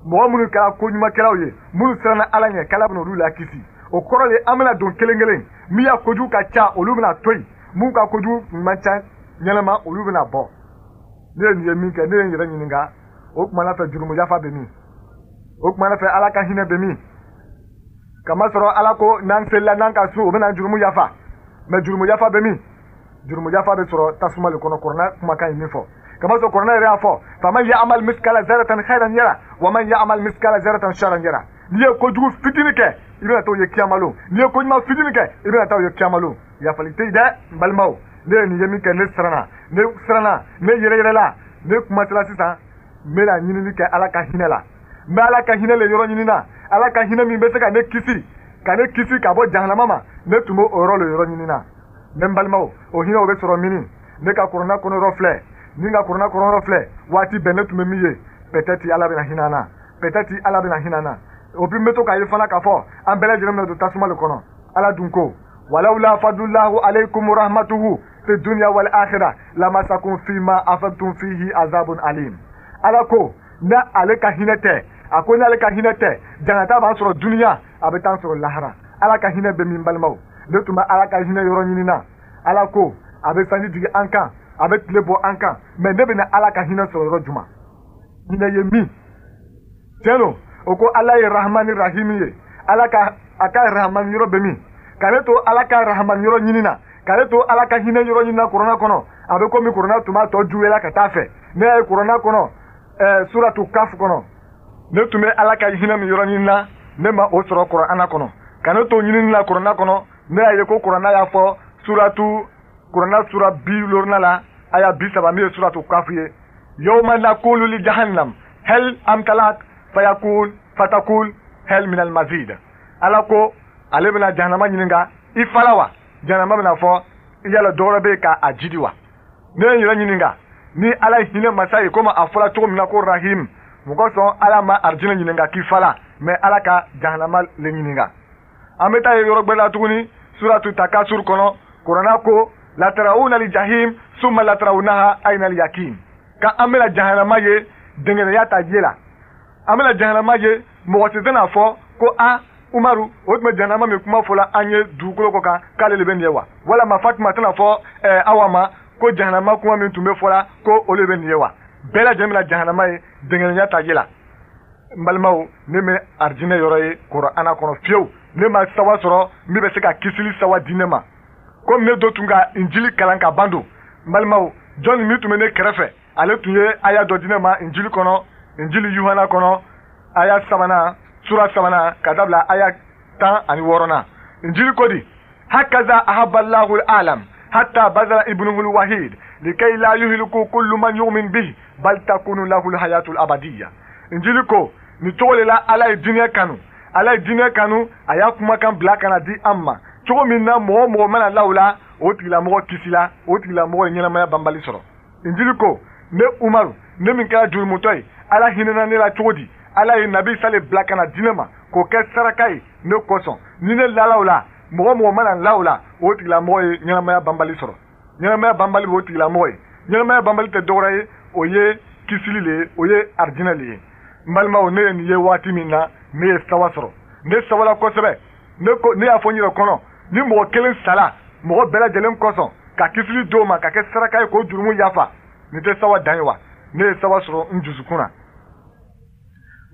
mɔgɔ minnu kɛra koɲumankɛlaw ye, minnu siranna Ala ɲɛ, k'Ala bɛna olu lakisi. O kɔrɔ de an bɛna don kelen kelen, min y'a kojugu ka ca olu bɛna to yen, mun ka kojugu man ca ɲɛnama olu bɛna bɔ. Ne ye nin ye min kɛ, ne ye n yɛrɛ ɲininka, o tuma na fɛ jurumu yafa bɛ min? O tuma na fɛ Ala ka hinɛ bɛ min? Kamasɔrɔ Ala ko n'an selila n'an ka sun, o bɛna jurumu yafa. Mɛ jurumu yafa bɛ min? Jurumu yafa bɛ sɔrɔ tasuma de kɔnɔ, Kurana kumakan ye min fɔ. Kamasɔrɔ Kurana yɛrɛ y'a fɔ faman ya'mal miskala zaratan khairan yara wa man ya'mal miskala zaratan sharran yara. N'i ye kojugu fitinin kɛ, i bɛna t'o ye kiyama lon. N'i ye koɲuman fitinin kɛ, i bɛna taa o ye kiyama lon. Yafali tɛ yen dɛ, n balimaw. Ne ye nin ye min kɛ, ne siranna, ne siranna, ne yɛrɛ yɛrɛ la, ne kumasela sisan, n bɛna ɲinini kɛ Ala ka hinɛ la. N bɛ Ala ka hinɛ le yɔrɔ ɲini na, Ala ka hinɛ min bɛ se ka ne kisi, ka ne kisi ka bɔ jahanama ma, ne tun b'o yɔrɔ le yɔrɔ ɲini na. Ne balimaw, o hinɛ o bɛ sɔrɔ mini? Ne ka Kurana kɔnɔ yɔrɔ filɛ, ni n ka Kurana kɔnɔ yɔrɔ filɛ, waati bɛɛ ne tun bɛ min ye, peut-être Ala bɛna hinɛ an na, peut-être Ala bɛna hinɛ an na. O bi n bɛ to k'a ye fana k'a fɔ an bɛɛ lajɛlen bɛna don tasuma de kɔnɔ. Ala dun ko walawla fadlullahu alaykum rahmatuhu fi dunya wal akhirah lamasakum fima afadtum fihi azabun alim. Ala ko n'a ale ka hinɛ tɛ, a ko n'ale ka hinɛ tɛ, jangata b'an sɔrɔ duniya, a bɛ t'an sɔrɔ lahara. Ala ka hinɛ bɛ min, balimaw? Ne tun bɛ Ala ka hinɛ yɔrɔ ɲini na. Ala ko a bɛ sanji jigin an kan, a bɛ tile bɔ an kan, mɛ ne bɛna Ala ka hinɛ sɔrɔ yɔrɔ jumɛn? Hinɛ ye min? Tiɲɛ don, o ko Ala ye Rahamani Rahimi ye, Ala ka a ka Rahamani yɔrɔ bɛ min? Ka ne to Ala ka Rahamani yɔrɔ ɲini na, ka ne to Ala ka hinɛ yɔrɔ ɲini na Kurana kɔnɔ, a bɛ komi Kurana tun b'a tɔ juguya ka taa fɛ. Ne y'a ye Kurana kɔnɔ, suratu Kaf kɔnɔ, ne tun bɛ Ala ka hinɛ min yɔrɔ ɲini na, ne ma o sɔrɔ Kurana kɔnɔ. Ka ne to ɲinini la Kurana kɔnɔ, ne y'a ye ko Kurana y'a fɔ suratu Kurana sura 70 la, aya 30, min ye suratu Kaf ye, yawma naqulu li jahannam hal amtalat fayakul fatakul hal min al mazid. Ala ko ale bɛna jahanama ɲininka, i fala wa? Jahanama bɛna fɔ yala dɔ wɛrɛ bɛ yen k'a jidi wa? Ne ye n yɛrɛ ɲininka, ni Ala ye hinɛ masa ye, komi a fɔra cogo min na ko Rahim, mɔgɔ sɔn Ala ma arijinɛ ɲininka k'i fala, mɛ Ala ka jahanama le ɲininka. An bɛ taa ye yɔrɔ gbɛrɛ la tuguni, suratu Takasur kɔnɔ, Kurana ko latarawuna li jahim summa latarawunaha ayna al yakin. Ka an bɛna jahanama ye dɛngɛnɛya ta ye la, an bɛna jahanama ye, mɔgɔ si tɛna fɔ ko a Umaru o tun bɛ jahanama min kuma fɔla an ye dugukolo kɔ kan k'ale de bɛ nin ye wa? Walama Fatima tɛna fɔ Awa ma ko jahanama kuma min tun bɛ fɔla ko o de bɛ nin ye wa? Bɛɛ lajɛlen bɛna jahanama ye dɛngɛnɛya ta ye la. N balimaw, ne bɛ arijinɛ yɔrɔ ye Kurana kɔnɔ fiyewu, ne ma sawa sɔrɔ min bɛ se ka kisili sawa di ne ma. Komi ne dɔ tun ka Injili kalan ka ban don, n balimaw, jɔnni min tun bɛ ne kɛrɛfɛ, ale tun ye aya dɔ di ne ma Injili kɔnɔ, Injili Yohana kɔnɔ, aya 3, sura 3 ka dabila aya 16. Injili ko di hakaza ahabballahu alam hatta bazala ibnuhu alwahid likay la yuhliku kullu man yu'min bihi bal takunu lahu alhayatu alabadiyya. Injili ko ni cogo de la Ala ye diinɛ kanu, Ala ye diinɛ kanu, a y'a kumakan bila ka na di an ma cogo min na mɔgɔ o mɔgɔ mana la o la, o tigilamɔgɔ kisila, o tigilamɔgɔ ye ɲɛnamaya banbali sɔrɔ. Injili ko ne Umaru, ne min kɛra jurumutɔ ye, Ala hinɛna ne la cogo di? Ala ye Nabi Isa le bila ka na di ne ma k'o kɛ saraka ye ne kosɔn. Ni ne lala o la, mɔgɔ mɔgɔ mana la o la, o tigilamɔgɔ ye ɲɛnamaya banbali sɔrɔ. Ɲɛnamaya banbali b'o tigilamɔgɔ ye. Ɲɛnamaya banbali tɛ dɔwɛrɛ ye, o ye kisili le ye, o ye arijinɛ le ye. N balimaw, ne ye nin ye waati min na, ne ye sawa sɔrɔ, ne sawala kosɛbɛ. Ne ko, ne y'a fɔ n yɛrɛ kɔnɔ, ni mɔgɔ kelen sala mɔgɔ bɛɛ lajɛlen kosɔn ka kisili d'o ma ka kɛ saraka ye k'o jurumu yafa, nin tɛ sawa dan ye wa? Ne ye sawa sɔrɔ n dusukun na.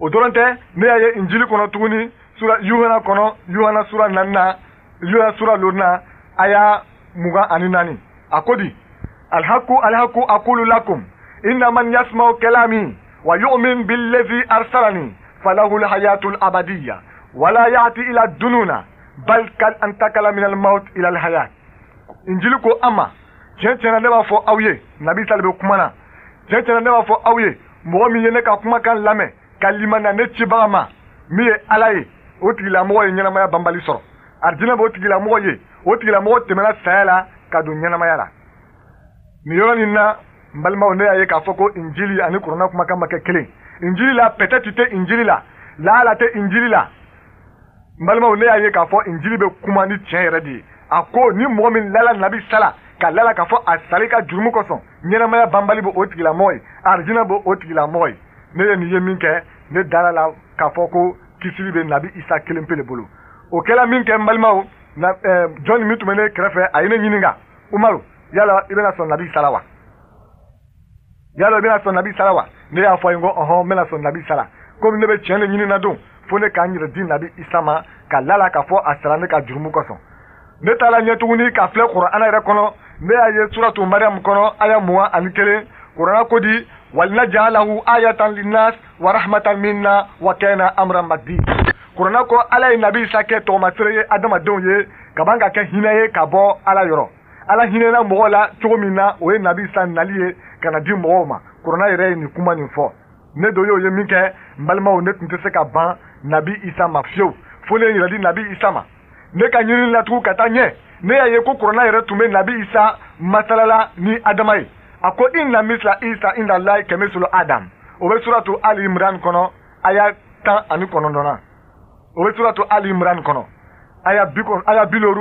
O dɔrɔn tɛ, ne y'a ye Injili kɔnɔ tuguni, sura Yuhana kɔnɔ, Yuhana sura 4, Yuhana sura 5, aya 24, a ko di: alhaku alhaku aqulu lakum inna man yasma'u kalami wa yu'min billazi arsalani falahu alhayatu alabadiyya wala ya'ti ila dununa bal kal antakala min almaut ila alhayat. Injili ko an ma, tiɲɛ tiɲɛ na ne b'a fɔ aw ye, Nabi Isa le bɛ kuma na, tiɲɛ tiɲɛ na ne b'a fɔ aw ye, mɔgɔ min ye ne ka kumakan lamɛn ka limaniya ne cibaga ma min ye Ala ye, o tigilamɔgɔ ye ɲɛnamaya banbali sɔrɔ. Arijinɛ b'o tigilamɔgɔ ye, o tigilamɔgɔ tɛmɛna saya la ka don ɲɛnamaya la. Nin yɔrɔ nin na, n balimaw, ne y'a ye k'a fɔ ko Injili ani Kurana kumakan ma kɛ kelen. Injili la peut-être tɛ Injili la, laala tɛ Injili la. N balimaw, ne y'a ye k'a fɔ Injili bɛ kuma ni tiɲɛ yɛrɛ de ye. A ko ni mɔgɔ min lala Nabi Isa la, ka lala k'a fɔ a sali ka jurumu kosɔn, ɲɛnamaya banbali b'o o tigilamɔgɔ ye, arijinɛ b'o o tigilamɔgɔ ye. Ne ye nin ye min kɛ, ne dara la k'a fɔ ko kisili bɛ Nabi Isa kelen pe le bolo. O kɛla min kɛ, n balimaw, jɔnni min tun bɛ ne kɛrɛfɛ, a ye ne ɲininka: Umaru, yala i bɛna sɔn Nabi Isa la wa? Yala i bɛna sɔn Nabi Isa la wa? Ne y'a fɔ a ye ko ɔhɔn, n bɛna sɔn Nabi Isa la. Komi ne bɛ tiɲɛ de ɲini na don, fo ne k'an yɛrɛ di Nabi Isa ma ka lala k'a fɔ a sara ne ka jurumu kosɔn. Ne taara ɲɛ tuguni ka filɛ Kurana yɛrɛ kɔnɔ, ne y'a ye suratu Mariam kɔnɔ, aya 21, Kurana ko di: walinaj'alahu ayatan linnas wa rahmatan minna wa kana amran maqdir. Kurana ko Ala ye Nabi Isa kɛ tɔgɔmasere ye adamadenw ye, ka ban ka kɛ hinɛ ye ka bɔ Ala yɔrɔ. Ala hinɛna mɔgɔw la cogo min na, o ye Nabi Isa nali ye ka na di mɔgɔw ma. Kurana yɛrɛ ye nin kuma nin fɔ. Ne do y'o ye min kɛ, n balimaw, ne tun tɛ se ka ban Nabi Isa ma fiyewu, fo ne ye yɛrɛ di Nabi Isa ma. Ne ka ɲinini la tugun ka taa ɲɛ, ne y'a ye ko Kurana yɛrɛ tun bɛ Nabi Isa masalala ni Adama ye. A ko inna misla Isa inda Allahi kamislu Adam. O bɛ suratu Ali Imran kɔnɔ, aya 19na. O bɛ suratu Ali Imran kɔnɔ, aya 50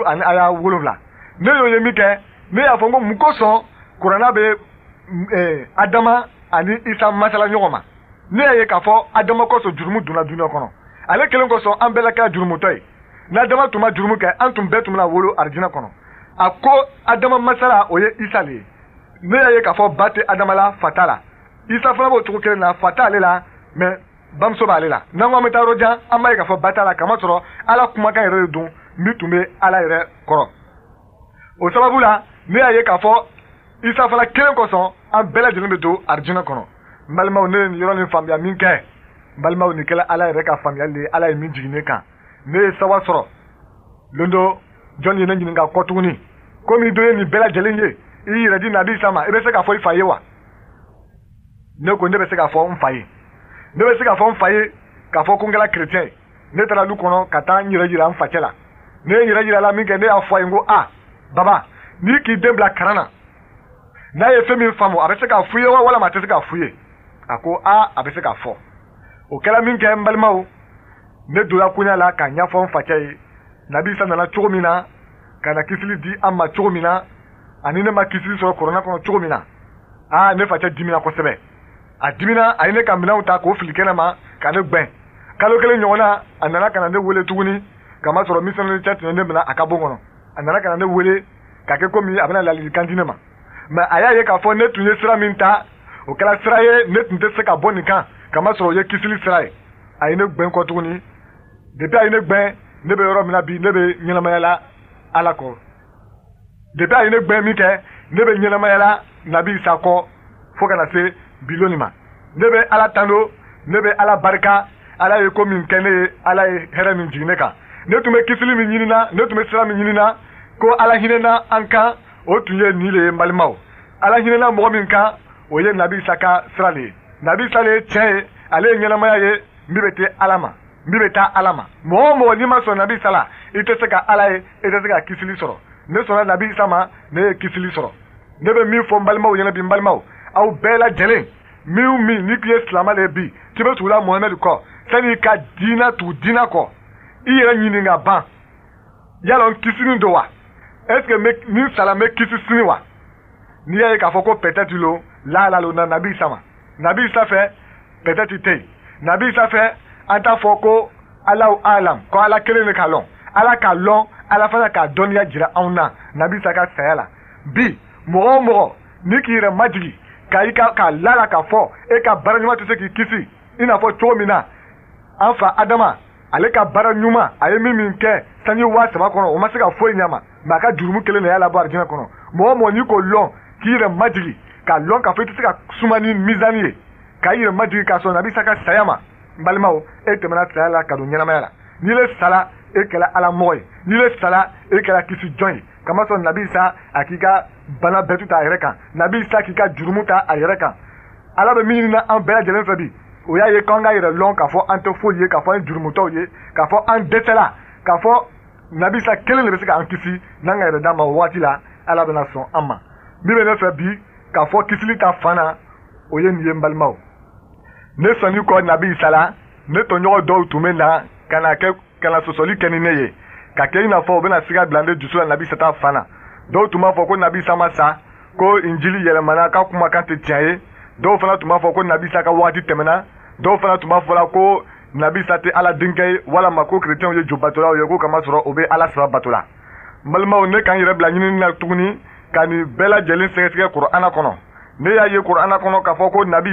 ani aya 7. Ne y'o ye min kɛ, ne y'a fɔ n ko mun kosɔn Kurana bɛ Adama ani Isa masala ɲɔgɔn ma? Ne y'a ye k'a fɔ Adama kosɔn jurumu donna dunuya kɔnɔ, ale kelen kosɔn an bɛɛ la kɛra jurumutɔ ye. N'Adama tun ma jurumu kɛ, an tun bɛɛ tun bɛna wolo arijinɛ kɔnɔ. A ko Adama masala, o ye Isa le ye. Ne y'a ye k'a fɔ ba tɛ Adama la, fa t'a la. Isa fana b'o cogo kelen na, fa t'ale la, mɛ bamuso b'ale la. N'an ko an bɛ taa yɔrɔ jan, an b'a ye k'a fɔ ba t'a la, kamasɔrɔ Ala kumakan yɛrɛ de don min tun bɛ Ala yɛrɛ kɔrɔ. O sababu la, ne y'a ye k'a fɔ Isa fana kelen kosɔn an bɛɛ lajɛlen bɛ don arijinɛ kɔnɔ. N balimaw, ne ye nin yɔrɔ nin faamuya min kɛ, n balimaw, nin kɛla Ala yɛrɛ ka faamuyali de ye, Ala ye min jigin ne kan. Ne ye sawa sɔrɔ. Lon dɔ, jɔn ye ne ɲininka kɔ tuguni: komi dɔ ye nin bɛɛ lajɛlen ye, i yɛrɛ di Nabi Isa ma, i bɛ se k'a fɔ i fa ye wa? Ne ko ne bɛ se k'a fɔ n fa ye. Ne bɛ se k'a fɔ n fa ye k'a fɔ ko n kɛra chrétien ye. Ne taara lu kɔnɔ ka taa n yɛrɛ yira n facɛ la. Ne ye n yɛrɛ yira la min kɛ, ne y'a fɔ a ye n ko a baba, n'i k'i den bila kalan na, n'a ye fɛn min faamu, a bɛ se k'a f'u ye wa, walima a tɛ se k'a f'u ye? A ko a, a bɛ se k'a fɔ. O kɛra min kɛ, n balimaw, ne donna koɲa la k'a ɲɛfɔ n facɛ ye Nabi Isa nana cogo min na ka na kisili di an ma cogo min na, ani ne ma kisili sɔrɔ Kurana kɔnɔ cogo min na. Aa, ne facɛ dimina kosɛbɛ. A dimina, a ye ne ka minɛnw ta k'o fili kɛnɛ ma ka ne gbɛn. Kalo kelen ɲɔgɔnna, a nana ka na ne wele tuguni, kamasɔrɔ missionnaire cɛ tun ye ne minɛ a ka bon kɔnɔ. A nana ka na ne wele ka kɛ komi a bɛna ladilikan di ne ma, mɛ a y'a ye k'a fɔ ne tun ye sira min ta, o kɛra sira ye ne tun tɛ se ka bɔ nin kan, kamasɔrɔ o ye kisili sira ye. A ye ne gbɛn kɔ tuguni. Depuis a ye ne gbɛn, ne bɛ yɔrɔ min na bi, ne bɛ ɲɛnamaya la Ala kɔ. Depuis a ye ne gbɛn min kɛ, ne bɛ ɲɛnamaya la Nabi Isa kɔ fo ka na se biloni ma. Ne bɛ Ala tando, ne bɛ Ala barika. Ala ye ko min kɛ ne ye, Ala ye hɛrɛ min jigin ne kan. Ne tun bɛ kisili min ɲinina, ne tun bɛ sira min ɲinina ko Ala hinɛna an kan, o tun ye nin le ye. N balimaw, Ala hinɛna mɔgɔ min kan, o ye Nabi Isa ka sira de ye. Nabi Isa le ye tiɲɛ ye, ale ye ɲɛnamaya ye, min bɛ taa Ala ma, min bɛ taa Ala ma. Mɔgɔ o mɔgɔ n'i ma sɔn Nabi Isa la, i tɛ se ka Ala ye, i tɛ se ka kisili sɔrɔ. Ne sɔnna Nabi Isa ma, ne ye kisili sɔrɔ. Ne bɛ min fɔ n balimaw ɲɛna bi, n balimaw, aw bɛɛ lajɛlen, min n'i ye silamɛ de ye bi, k'i bɛ tugu la Mohamɛdi kɔ, sani i ka diinɛ tugu diinɛ kɔ, i yɛrɛ ɲininka ban, yala n kisinin don wa? Est ce que ni n sara n bɛ kisi sini wa? N'i y'a ye k'a fɔ ko peut-être lo, laala lo na Nabi Isa ma. Nabi Isa fɛ peut-être tɛ yen. Nabi Isa fɛ an t'a fɔ ko Alahu alam, ko Ala kelen de k'a lɔn. Ala k'a lɔn, Ala fana k'a dɔnniya jira anw na Nabi Isa ka saya la. Bi mɔgɔ o mɔgɔ n'i k'i yɛrɛ majigi ka i ka k'a lala k'a fɔ e ka baara ɲuman tɛ se k'i kisi, i n'a fɔ cogo min na an fa Adama ale ka baara ɲuman a ye min kɛ sanji 3000 kɔnɔ, o ma se ka foyi ɲɛ ma, mɛ a ka jurumu kelen de y'a labɔ arijinɛ kɔnɔ. Mɔgɔ o mɔgɔ n'i k'o lɔn k'i yɛrɛ majigi k'a lɔn k'a fɔ i tɛ se ka suma ni mizani ye, k'a yɛrɛ majigi k'a sɔn Nabi Isa ka saya ma, n balimaw, e tɛmɛna saya la ka don ɲɛnamaya la. N'i le sala, e kɛra Ala mɔgɔ ye. N'i le sala, e kɛra kisi jɔn ye. Kamasɔrɔ Nabi Isa a k'i ka bana bɛɛ ta a yɛrɛ kan, Nabi Isa k'i ka jurumu ta a yɛrɛ kan. Ala bɛ min ɲini an bɛɛ lajɛlen fɛ bi, o y'a ye k'an ka yɛrɛ lɔn k'a fɔ an tɛ foyi ye, k'a fɔ an ye jurumutɔw ye, k'a fɔ an dɛsɛla, k'a fɔ Nabi Isa kelen de bɛ se k'an kisi. N'an ka yɛrɛ d'a ma o waati la, Ala bɛna sɔn an ma. Min bɛ ne fɛ bi k'a fɔ kisili ta fan na, o ye nin ye n balimaw. Ne sɔnni kɔ Nabi Isa la, ne tɔɲɔgɔn dɔw tun bɛ na ka na kɛ ka na sɔsɔli kɛ ni ne ye, ka kɛ i n'a fɔ u bɛna siga bila ne dusu la Nabi Isa ta fan na. Dɔw tun b'a fɔ ko Nabi Isa ma sa, ko Injili yɛlɛmana, k'a kumakan tɛ tiɲɛ ye. Dɔw fana tun b'a fɔ ko Nabi Isa ka waati tɛmɛna. Dɔw fana tun b'a fɔ la ko Nabi Isa tɛ Ala denkɛ ye, walama ko kerecɛnw ye jobatolaw ye, ko kamasɔrɔ o bɛ Ala saba bato la. N balimaw, ne k'an yɛrɛ bila ɲinini na tuguni ka nin bɛɛ lajɛlen sɛgɛsɛgɛ Kurana kɔnɔ. Ne y'a ye Kurana kɔnɔ k'a fɔ ko Nabi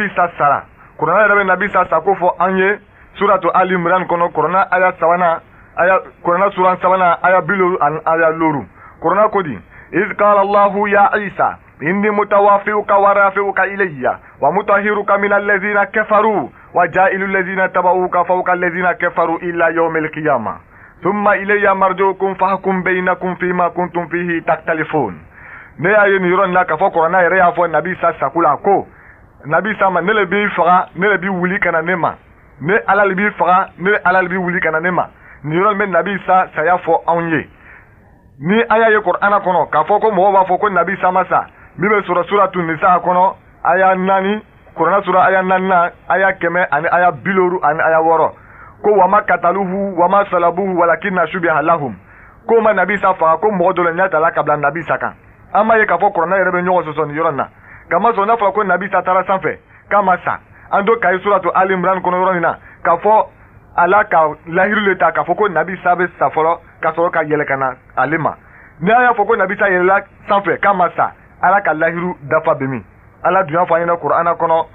Isa sara. Kurana yɛrɛ bɛ Nabi Isa sako fɔ an ye suratu Ali Imran kɔnɔ, Kurana aya sabanan, aya Kurana suran sabanan, aya 50 ani aya 5. Kurana ko di: iz qala Allahu ya Isa inni mutawafiuka wa rafiuka ilayya wa mutahiruka min allazina kafaru wa ja'ilu allazina tabauka fawqa allazina kafaru ila yawmil qiyamah thumma ilayya marjuukum fahkum bainakum fima kuntum fihi takhtalifun. Ne y'a ye nin yɔrɔ in na k'a fɔ Kurana yɛrɛ y'a fɔ Nabi Isa sako la ko Nabi Isa ma, ne le b'i faga, ne le b'i wuli ka na ne ma, ne Ala le b'i faga, ne Ala le b'i wuli ka na ne ma. Nin yɔrɔ in bɛ Nabi Isa saya fɔ anw ye. Ni an y'a ye Kurana kɔnɔ k'a fɔ ko mɔgɔw b'a fɔ ko Nabi Isa ma sa, min bɛ sɔrɔ suratu Nisa kɔnɔ aya 4, Kurana sura aya 4, aya 100 ani aya 50 ani aya 6, ko wama kataluhu wama salabuhu walakinna shubiha lahum, ko ma Nabi Isa faga, ko mɔgɔ dɔ le ɲɛ tala ka bila Nabi Isa kan. An b'a ye k'a fɔ Kurana yɛrɛ bɛ ɲɔgɔn sɔsɔ nin yɔrɔ in na. Kamasɔrɔ n'a fɔra ko Nabi Isa taara sanfɛ k'a ma sa, an to kayi suratu Ali Imran kɔnɔ yɔrɔ in na k'a fɔ Ala ka lahiru le ta k'a fɔ ko Nabi Isa bɛ sa fɔlɔ ka sɔrɔ ka yɛlɛ ka na ale ma. Ni an y'a fɔ ko Nabi Isa yɛlɛla sanfɛ k'a ma sa, Ala ka lahiru dafa bɛ min? Ala dun y'a fɔ an ɲɛna Kurana kɔnɔ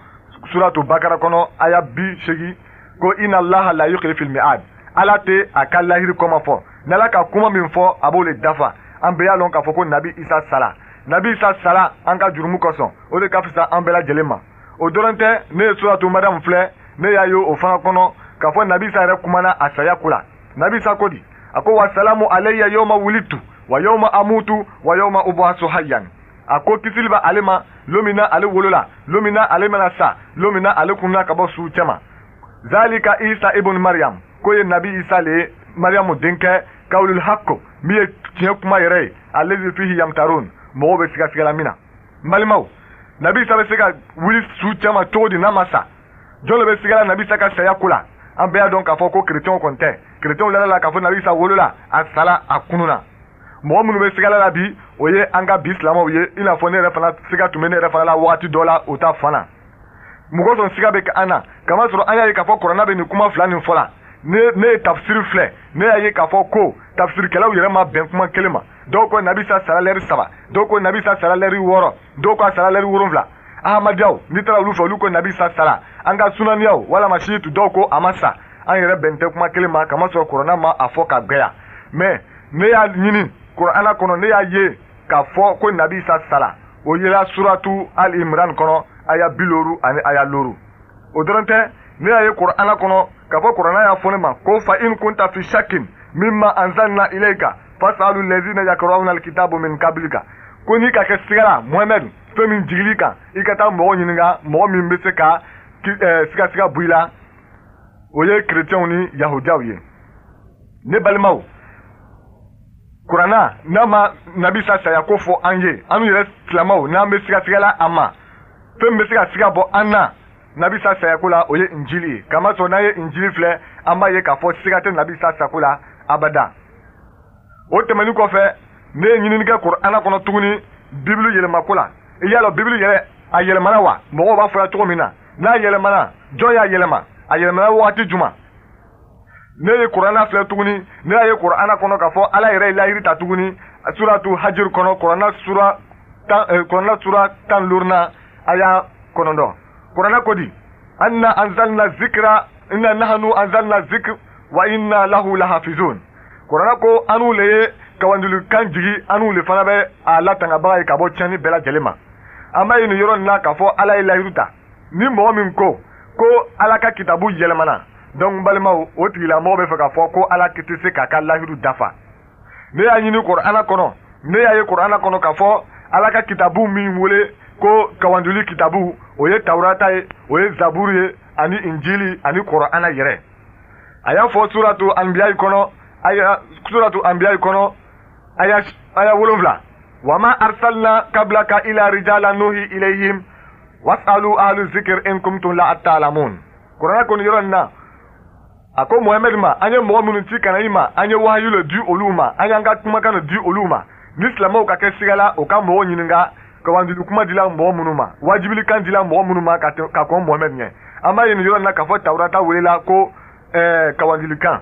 suratu Bakara kɔnɔ aya 80 ko inna Allaha la yukhliful mi'ad, Ala tɛ a ka lahiru kɔma fɔ. N'Ala ka kuma min fɔ, a b'o le dafa. An bɛɛ y'a lɔn k'a fɔ ko Nabi Isa sara. Nabi Isa sara an ka jurumu kosɔn, o de ka fisa an bɛɛ lajɛlen ma. O dɔrɔn tɛ, ne ye suratu Mariam filɛ, ne y'a ye o fana kɔnɔ k'a fɔ Nabi Isa yɛrɛ kumana a saya ko la. Nabi Isa ko di? A ko wa salamu alayya yawma wulidtu wa yawma amutu wa yawma ub'asu hayyan. A ko kisili bɛ ale ma lon min na ale wolola, lon min na ale mana sa, lon min na ale kunna ka bɔ su cɛma. Zalika Isa ibn Mariam, ko ye Nabi Isa le ye, Mariamu denkɛ, kawlul hakko, min ye tiɲɛ kuma yɛrɛ ye, allazi fihi yamtarun, mɔgɔw bɛ sigasigala min na. N balimaw, Nabi Isa bɛ se ka wuli su cɛma cogo di n'a ma sa? Jɔn de bɛ sigala Nabi Isa ka saya ko la? An bɛɛ y'a dɔn k'a fɔ ko kerecɛnw kɔni tɛ. Kerecɛnw lala la k'a fɔ Nabi Isa wolola, a sala, a kununa. Mɔgɔ minnu bɛ sigala la bi, o ye an ka bi silamɛw ye, i n'a fɔ ne yɛrɛ fana siga tun bɛ ne yɛrɛ fana la wagati dɔ la o ta fan na. Mɔgɔ sɔn siga bɛ kɛ an na, kamasɔrɔ an y'a ye k'a fɔ Kurana bɛ nin kuma fila nin fɔ la. Ne ye tafsiri filɛ, ne y'a ye k'a fɔ ko tafsirikɛlaw yɛrɛ ma bɛn kuma kelen ma. Dɔw ko Nabi Isa sara lɛri 3, dɔw ko Nabi Isa sara lɛri 6, dɔw ko a sara lɛri 7. Ahmadiyaw, n'i taara olu fɛ, olu ko Nabi Isa sara. An ka sunaniyaw walama siyitu, dɔw ko a ma sa. An yɛrɛ bɛn tɛ kuma kelen ma, kamasɔrɔ Kurana ma a fɔ ka gbɛya. Mɛ ne y'a ɲini Kurana kɔnɔ, ne y'a ye k'a fɔ ko Nabi Isa sara. O yela suratu Al Imran kɔnɔ aya 50 ani aya 5. O dɔrɔn tɛ, ne y'a ye Kurana kɔnɔ k'a fɔ Kurana y'a fɔ ne ma ko fa in kunta fi shakkin mimma anzalna ilayka fasalu allazina yakra'una alkitaba min qablika, Ko n'i ka kɛ sigala Mohamed fɛn min jigili kan, i ka taa mɔgɔ ɲininka, mɔgɔ min bɛ se ka sigasiga bɔ i la, o ye kerecɛnw ni yahudiyaw ye. Ne balimaw, kuranna n'a ma Nabi Isa saya ko fɔ an ye, an yɛrɛ silamɛw n'an bɛ sigasigala a ma, fɛn min bɛ se ka siga bɔ an na Nabi Isa sayako la, o ye Injili ye. Kamasɔrɔ n'an ye Injili filɛ, an b'a ye k'a fɔ siga tɛ Nabi Isa sako la abada. O tɛmɛni kɔfɛ, ne ye ɲinini kɛ Kurana kɔnɔ tuguni Bibulu yɛlɛmako la. I y'a lɔn Bibulu yɛrɛ a yɛlɛmana wa? Mɔgɔw b'a fɔra cogo min na, n'a yɛlɛmana, jɔn y'a yɛlɛma? A yɛlɛmana wagati juma? Ne ye Kurana filɛ tuguni, ne y'a ye Kurana kɔnɔ k'a fɔ Ala yɛrɛ ye lahiri ta tuguni suratu Hajir kɔnɔ, Kurana sura tan, Kurana sura 15nan aya 9. Kurana ko di? Anna anzalna zikra inna nahnu anzalna zikr wa inna lahu lahafizun. Kurana ko anu le ye kawandulikan jigi, anu le fana bɛ a latangabaga ye ka bɔ tiɲɛni bɛɛ lajɛlen ma. An b'a ye nin yɔrɔ nin na k'a fɔ Ala ye layiru ta. Ni mɔgɔ min ko ko Ala ka kitabu yɛlɛmana, donc balimaw, o tigilamɔgɔ bɛ fɛ k'a fɔ ko Ala tɛ se k'a ka layiru dafa. Ne y'a ɲini Kurana kɔnɔ, ne y'a ye Kurana kɔnɔ k'a fɔ Ala ka kitabu min wele ko kawanduli kitabu, o ye Tawurata ye, o ye Zaburu ye, ani Injili ani Kurana yɛrɛ. A y'a fɔ suratu Anbiya kɔnɔ, aya suratu Anbiya kɔnɔ aya 7, wama arsalna kablaka ila rijala nuhi ilayhim wasalu ahlu zikr in kuntum la ta'lamun. Kurana kɔni yɔrɔ nin na, a ko Mohamɛd ma, an ye mɔgɔ minnu ci ka na i ma, an ye wahayu le di olu ma, an y'an ka kumakan le di olu ma. Ni silamɛw ka kɛ siga la, o ka mɔgɔw ɲininka kawanduli kuma dila mɔgɔ minnu ma, wajibilikan dila mɔgɔ minnu ma ka kɔn Mohamɛd ɲɛ. An b'a ye nin yɔrɔ nin na k'a fɔ Tawurata welela ko kawandulikan.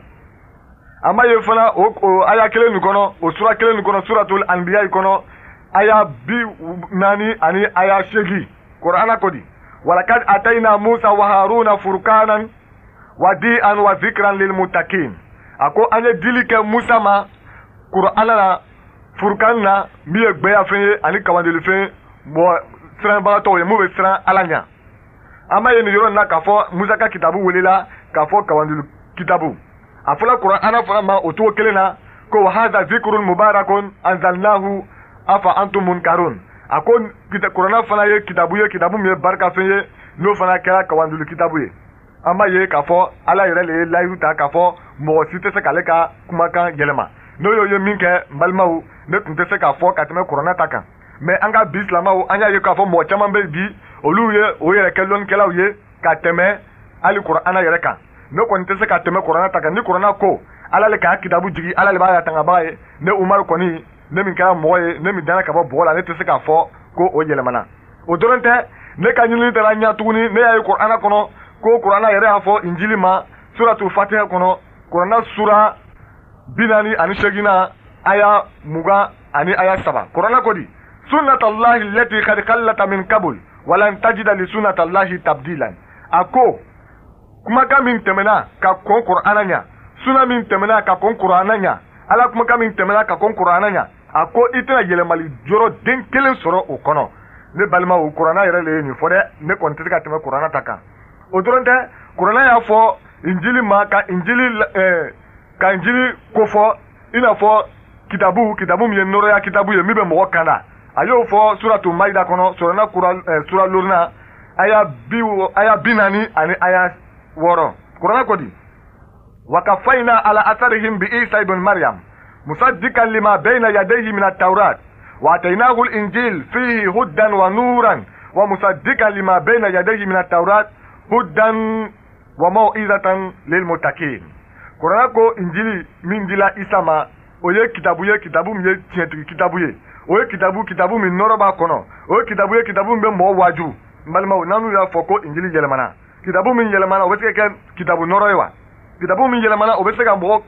An b'a ye fana o aya kelen nin kɔnɔ, o sura kelen nin kɔnɔ, suratul Anbiya kɔnɔ, aya 40 ani aya 8. Kurana ko di? Walakad atayna Musa wa Haruna furkanan wa di'an wa zikran lil muttaqin. A ko an ye dili kɛ Musa ma Kurana la, furukan na, min ye gbɛyafɛn ye ani kawandulifɛn, mɔgɔ siranbagatɔw ye, mun bɛ siran Ala ɲɛ. An b'a ye nin yɔrɔ in na k'a fɔ Musa ka kitabu welela k'a fɔ kawanduli kitabu. A fɔla Kurana fana ma o cogo kelen na ko wa hadha zikrun mubarakun anzalnahu afa antum munkarun. A ko Kurana fana ye kitabu ye, kitabu min ye barikafɛn ye, n'o fana kɛra kawanduli kitabu ye. An b'a ye k'a fɔ Ala yɛrɛ le ye layiru ta k'a fɔ mɔgɔ si tɛ se k'ale ka kumakan yɛlɛma. N'o y'o ye min kɛ, n balimaw, ne tun tɛ se k'a fɔ ka tɛmɛ Kurana ta kan. Mais an ka bi silamɛw, an y'a ye k'a fɔ mɔgɔ caman bɛ bi, olu ye o yɛrɛ kɛ lɔnnikɛlaw ye ka tɛmɛ hali Kurana yɛrɛ kan. Ne kɔni tɛ se ka tɛmɛ Kurana ta kan. Ni Kurana ko Ala le k'a kitabu jigi, Ala le b'a latangabaga ye, ne Umaru kɔni, ne min kɛra mɔgɔ ye, ne min danna ka bɔ bɔgɔ la, ne tɛ se k'a fɔ ko o yɛlɛmana. O dɔrɔn tɛ, ne ka ɲinini taara ɲɛ tuguni, ne y'a ye Kurana kɔnɔ ko Kurana yɛrɛ y'a fɔ Injili ma suratu Fatiha kɔnɔ, Kurana sura 48nan aya 20 ani aya 3. Kurana ko di? Sunnatallahi allati qad khallata min qabl walan tajida li sunnatallahi tabdilan. A ko kumakan min tɛmɛna ka kɔn Kurana ɲɛ, suna min tɛmɛna ka kɔn Kurana ɲɛ, Ala kumakan min tɛmɛna ka kɔn Kurana ɲɛ, a ko i tɛna yɛlɛmali yɔrɔ den kelen sɔrɔ o kɔnɔ. Ne balimaw, Kurana yɛrɛ le ye nin fɔ dɛ, ne kɔni tɛ se ka tɛmɛ Kurana ta kan. O dɔrɔn tɛ, Kurana y'a fɔ Injili ma ka Injili kofɔ i n'a fɔ kitabu min ye nɔrɔya kitabu ye min bɛ mɔgɔ kan na. A y'o fɔ suratu Maida kɔnɔ, sura 5nan aya 40 ani aya 6. Kurana ko di? Wa kafayna ala atharihim bi Isa ibn Maryam musaddiqan lima bayna yadayhi min at-tawrat wa ataynahu al-injil fihi hudan wa nuran wa musaddiqan lima bayna yadayhi min at-tawrat hudan wa mau'izatan lil muttaqin. Kurana ko Injili min dila Isa ma, o ye kitabu ye, kitabu min ye tiɲɛtigi kitabu ye, o ye kitabu min nɔrɔ b'a kɔnɔ, o ye kitabu ye, kitabu min bɛ mɔgɔ waaju. N balimaw, n'an y'a fɔ ko Injili yɛlɛmana, kitabu min yɛlɛmana, o bɛ se ka kɛ kitabu nɔrɔ ye wa? Kitabu min yɛlɛmana, o bɛ se ka mɔgɔ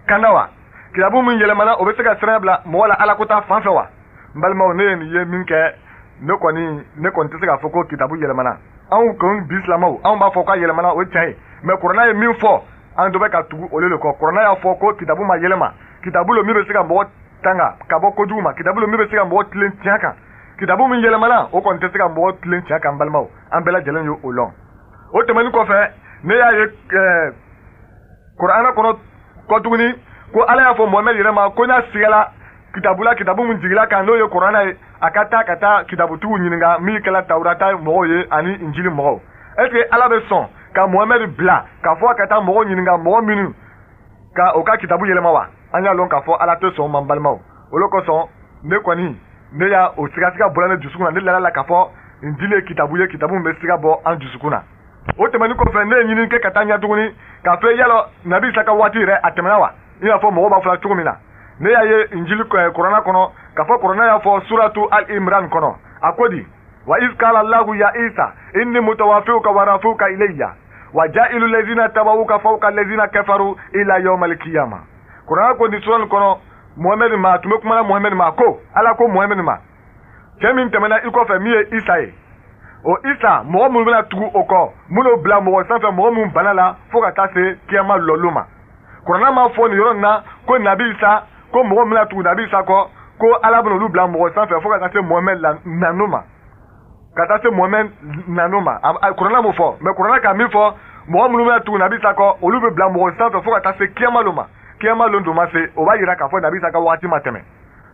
kanda wa? Kitabu min yɛlɛmana, o bɛ se ka sira bila mɔgɔ la Ala ko ta fan fɛ wa? N balimaw, ne ye nin ye min kɛ, ne kɔni tɛ se k'a fɔ ko kitabu yɛlɛmana. Anw kɔni bi silamɛw, anw b'a fɔ k'a yɛlɛmana, o ye tiɲɛ ye, mais Kurana ye min fɔ, an dɔ bɛ ka tugu olu de kɔ. Kurana y'a fɔ ko kitabu ma yɛlɛma, kitabu lo min bɛ se ka mɔgɔ tanga ka bɔ kojugu ma, kitabu lo min bɛ se ka mɔgɔ tilen tiɲɛ kan. Kitabu min yɛlɛmana, o kɔni tɛ se ka mɔgɔ tilen tiɲɛ kan. Balimaw, an bɛɛ lajɛlen ye o lɔn. O tɛmɛnen kɔfɛ, ne y'a ye Kurana kɔnɔ kɔ tuguni ko Ala y'a fɔ Mohamɛd yɛrɛ ma ko n'a sigala kitabu la, kitabu min jigila kan n'o ye Kuranɛ ye, a ka taa ka taa kitabutigiw ɲininka min kɛla Tawurata mɔgɔw ye ani Injili mɔgɔw. Est ce que Ala bɛ sɔn ka Muhamɛdi bila k'a fɔ a ka taa mɔgɔw ɲininka mɔgɔ minnu ka o ka kitabu yɛlɛma wa? An y'a lɔn k'a fɔ Ala tɛ sɔn o ma, n balimaw. O de kosɔn ne kɔni ne y'a o sigasiga bɔra ne dusukun na, ne lala la k'a fɔ Injili ye kitabu ye, kitabu min bɛ siga bɔ an dusukun na. O tɛmɛnen kɔfɛ, ne ye ɲini kɛ ka taa ɲɛ tuguni k'a fɔ yala Nabi Isa ka waati yɛrɛ a tɛmɛna wa, i n'a fɔ mɔgɔw b'a fɔla cogo min na. Ne y'a ye Injili Kuranɛ kɔnɔ k'a fɔ Kuranɛ y'a fɔ suratu Al-Imran kɔnɔ, a ko di: wa iz qala Allahu ya Isa inni mutawafiuka wa rafiuka ilayya wa ja'ilu allazina tabauka fawqa allazina kafaru ila yawmal qiyamah. Kuranɛ ko nin sura nin kɔnɔ Muhamɛdi ma, a tun bɛ kuma na Muhamɛdi ma, ko Ala ko Muhamɛdi ma, cɛ min tɛmɛna i kɔfɛ min ye Isa ye, o Isa mɔgɔ minnu bɛna tugu o kɔ, minnu bila mɔgɔ sanfɛ, mɔgɔ minnu bana la fo ka taa se kiyama lɔlu ma. Kuranɛ m'a fɔ nin yɔrɔ nin na ko Nabi Isa, ko mɔgɔ min bɛna tugu Nabi Isa kɔ, ko Ala bɛna olu bila mɔgɔ sanfɛ fo ka taa se Muhamɛdi nanu ma, ka taa se Muhamɛdi nanu ma. Kuranɛ m'o fɔ, mais Kuranɛ ka min fɔ, mɔgɔ minnu bɛna tugu Nabi Isa kɔ, olu bɛ bila mɔgɔ sanfɛ fo ka taa se kiyama lon ma. Kiyama lon dun ma se, o b'a yira k'a fɔ Nabi Isa ka waati ma tɛmɛ.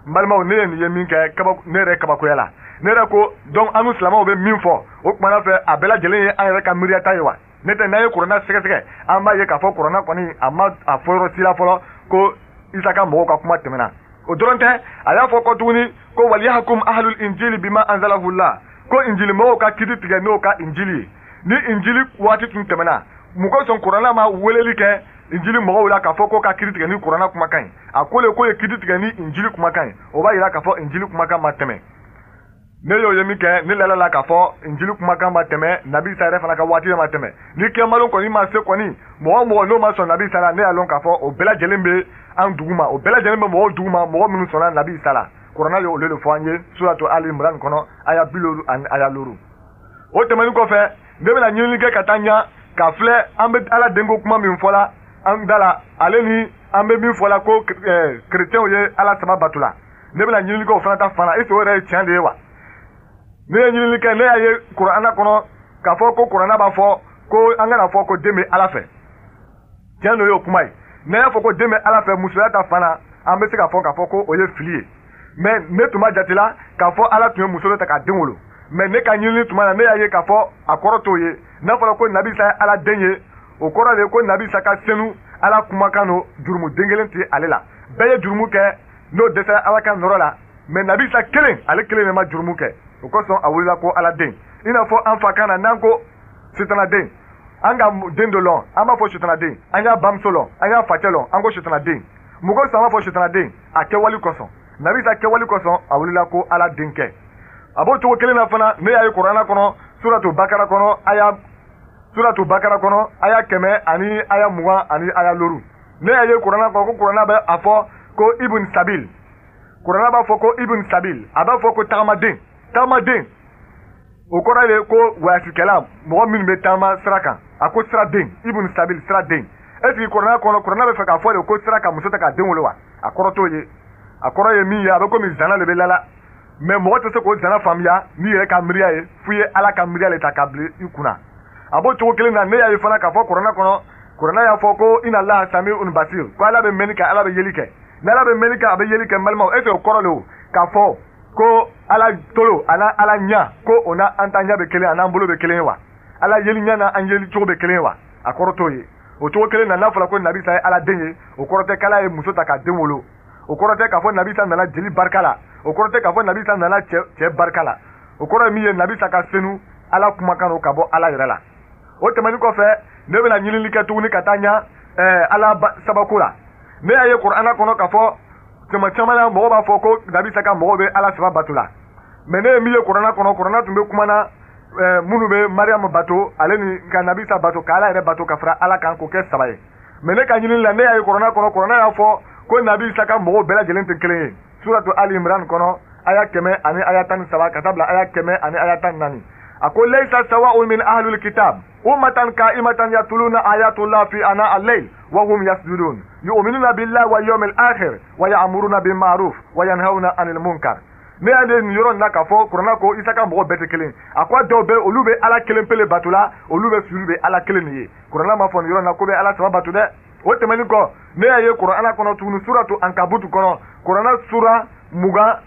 N balimaw, ne ye nin ye min kɛ kaba, ne yɛrɛ kabakoya la. Ne yɛrɛ ko donc an silamɛw bɛ min fɔ o kumana fɛ, a bɛɛ lajɛlen ye an yɛrɛ ka miiriya ta ye wa? Ne tɛ, n'an ye Kuranɛ sɛgɛsɛgɛ, an b'a ye k'a fɔ Kuranɛ kɔni a ma a fɔ yɔrɔ si la fɔlɔ ko Isa ka mɔgɔw ka kuma tɛmɛna. O dɔrɔn tɛ, a y'a fɔ kɔ tuguni ko waliyahkum ahlul injili bima anzalahu Allah, ko injili mɔgɔw ka kiti tigɛ n'o ka injili ye. Ni injili waati tun tɛmɛna, mun kosɔn Kuranɛ ma weleli kɛ injili mɔgɔw la k'a fɔ ko ka kiti tigɛ ni Kuranɛ kumakan ye? A ko le ko ye kiti tigɛ ni injili kumakan ye, o b'a yira k'a fɔ injili kumakan ma tɛmɛ. Ne y'o ye min kɛ, ne lala la k'a fɔ injili kumakan ma tɛmɛ, Nabi Isa yɛrɛ fana ka waati ma tɛmɛ. Ni kiyamalo kɔni ma se kɔni, mɔgɔ o mɔgɔ n'o ma sɔn Nabi Isa la, ne y'a lɔn k'a fɔ o bɛɛ lajɛlen bɛ an duguma, o bɛɛ lajɛlen bɛ mɔgɔw duguma, mɔgɔ minnu sɔnna Nabi Isa la. Kuranɛ ye olu de fɔ an ye suratu Ali Imran kɔnɔ, aya 50 ani aya 5. O tɛmɛnen kɔfɛ, ne bɛna ɲinini kɛ ka taa ɲɛ k'a filɛ an bɛ Ala denko kuma min fɔla an da la, ale ni an bɛ min fɔla ko kerecɛnw ye Ala saba bato la. Ne bɛna ɲinini kɛ o fana ta fan na, est ce que o yɛrɛ ye tiɲɛ de ye wa? Ne ye ɲinini kɛ, ne y'a ye Kuranɛ kɔnɔ k'a fɔ ko Kuranɛ b'a fɔ ko an kana fɔ ko den bɛ Ala fɛ. Tiɲɛ n'o y'o kuma ye. Ne y'a fɔ ko den bɛ Ala fɛ musoya ta fan na, an bɛ se k'a fɔ k'a fɔ ko o ye fili ye. Mais ne tun ma jate la k'a fɔ Ala tun ye muso dɔ ta k'a den wolo. Mais ne ka ɲinini tuma na, ne y'a ye k'a fɔ a kɔrɔ t'o ye. N'a fɔra ko Nabi Isa ye Ala den ye, o kɔrɔ de ye ko Nabi Isa ka senu Ala kumakan don, jurumu den kelen tɛ ale la. Bɛɛ ye jurumu kɛ n'o dɛsɛra Ala ka nɔrɔ la, mais Nabi Isa kelen, ale kelen de ma jurumu kɛ. O kosɔn a wulila ko Ala den. I n'a fɔ an fa kan na, n'an ko sitana den, an ka den dɔ lɔn, an b'a fɔ sitana den, an y'a bamuso lɔn, an y'a facɛ lɔn, an ko sitana den. Mun kosɔn an b'a fɔ sitana den? A kɛwale kosɔn. Nabi Isa kɛwale kosɔn a wulila ko Ala denkɛ. A b'o cogo kelen na fana, ne y'a ye Kuranɛ kɔnɔ, suratu Bakara kɔnɔ, aya suratu Bakara kɔnɔ, aya 100 ani aya 20 ani aya 5. Ne y'a ye Kuranɛ kɔnɔ ko Kuranɛ bɛ a fɔ ko Ibn Sabil. Kuranɛ b'a fɔ ko Ibn Sabil, a b'a fɔ ko tagamaden. Tagamaden, o kɔrɔ ye ko wayasikɛla, mɔgɔ minnu bɛ taama sira kan. A ko siraden, Ibn Sabil, siraden. Est ce que Kuranɛ kɔnɔ, Kuranɛ bɛ fɛ k'a fɔ de ko sira ka muso ta k'a den wolo wa? A kɔrɔ t'o ye. A kɔrɔ ye min ye, a bɛ komi zana de bɛ lala. Mais mɔgɔ tɛ se k'o zana faamuya n'i yɛrɛ ka miiriya ye, f'i ye Ala ka miiriya de ta k'a bila i kunna. A b'o cogo kelen na, ne y'a ye fana k'a fɔ Kuranɛ kɔnɔ, Kuranɛ y'a fɔ ko inna Allaha sami'un basir, ko Ala bɛ mɛnni kɛ, Ala bɛ yeli kɛ. Ni Ala bɛ mɛnni kɛ, a bɛ yeli kɛ, n balimaw, est ce que o kɔrɔ de o k'a fɔ ko Ala tolo a n'a Ala ɲɛ, ko o n'an ta ɲɛ bɛ kelen, a n'an bolo bɛ kelen ye wa? Ala yeli ɲɛ n'an yeli cogo bɛ kelen ye wa? A kɔrɔ t'o ye. O cogo kelen na, n'a fɔra ko Nabi Isa ye Ala den ye, o kɔrɔ tɛ k'Ala ye muso ta k'a den wolo. O kɔrɔ tɛ k'a fɔ Nabi Isa nana jeli barika la. O kɔrɔ tɛ k'a fɔ Nabi Isa nana cɛ barika la. O kɔrɔ ye min ye, Nabi Isa ka senu Ala kumakan don ka bɔ Ala yɛrɛ la. O tɛmɛnen kɔfɛ, ne bɛna ɲinini kɛ tuguni ka taa ɲɛ Ala sabako la. Ne y'a ye Kuranɛ kɔnɔ k'a fɔ tuma caman na mɔgɔw b'a fɔ ko Nabi Isa ka mɔgɔw bɛ Ala saba bato la. Mais ne ye min ye Kuranɛ kɔnɔ, Kuranɛ tun bɛ kuma na minnu bɛ Mariam bato, ale ni ka Nabi Isa bato, ka Ala yɛrɛ bato ka fara Ala kan k'o kɛ saba ye. Mais ne ka ɲinini la, ne y'a ye Kuranɛ kɔnɔ, Kuranɛ y'a fɔ ko Nabi Isa ka mɔgɔw bɛɛ lajɛlen tɛ kelen ye. Suratu Ali Imran kɔnɔ, aya 100 ani aya 13 ka taa bila aya 100 ani aya 14. A ko laysa sawa'un min ahlul kitab ummatan qa'imatan yatluna ayatullah fi ana al-layl wa hum yasjudun yu'minuna billahi wal yawmil akhir wa ya'muruna bil ma'ruf wa yanhauna 'anil munkar. Ne y'a ye nin yɔrɔ in na k'a fɔ Kuranɛ ko Isa ka mɔgɔw bɛɛ tɛ kelen. A ko dɔw bɛ, olu bɛ Ala kelen pele bato la, olu bɛ sujuru bɛ Ala kelen de ye. Kuranɛ m'a fɔ nin yɔrɔ in na ko bɛ Ala saba bato dɛ. O tɛmɛnen kɔ, ne y'a ye Kurana kɔnɔ tuguni, suratu Ankabutu kɔnɔ, Kurana sura 29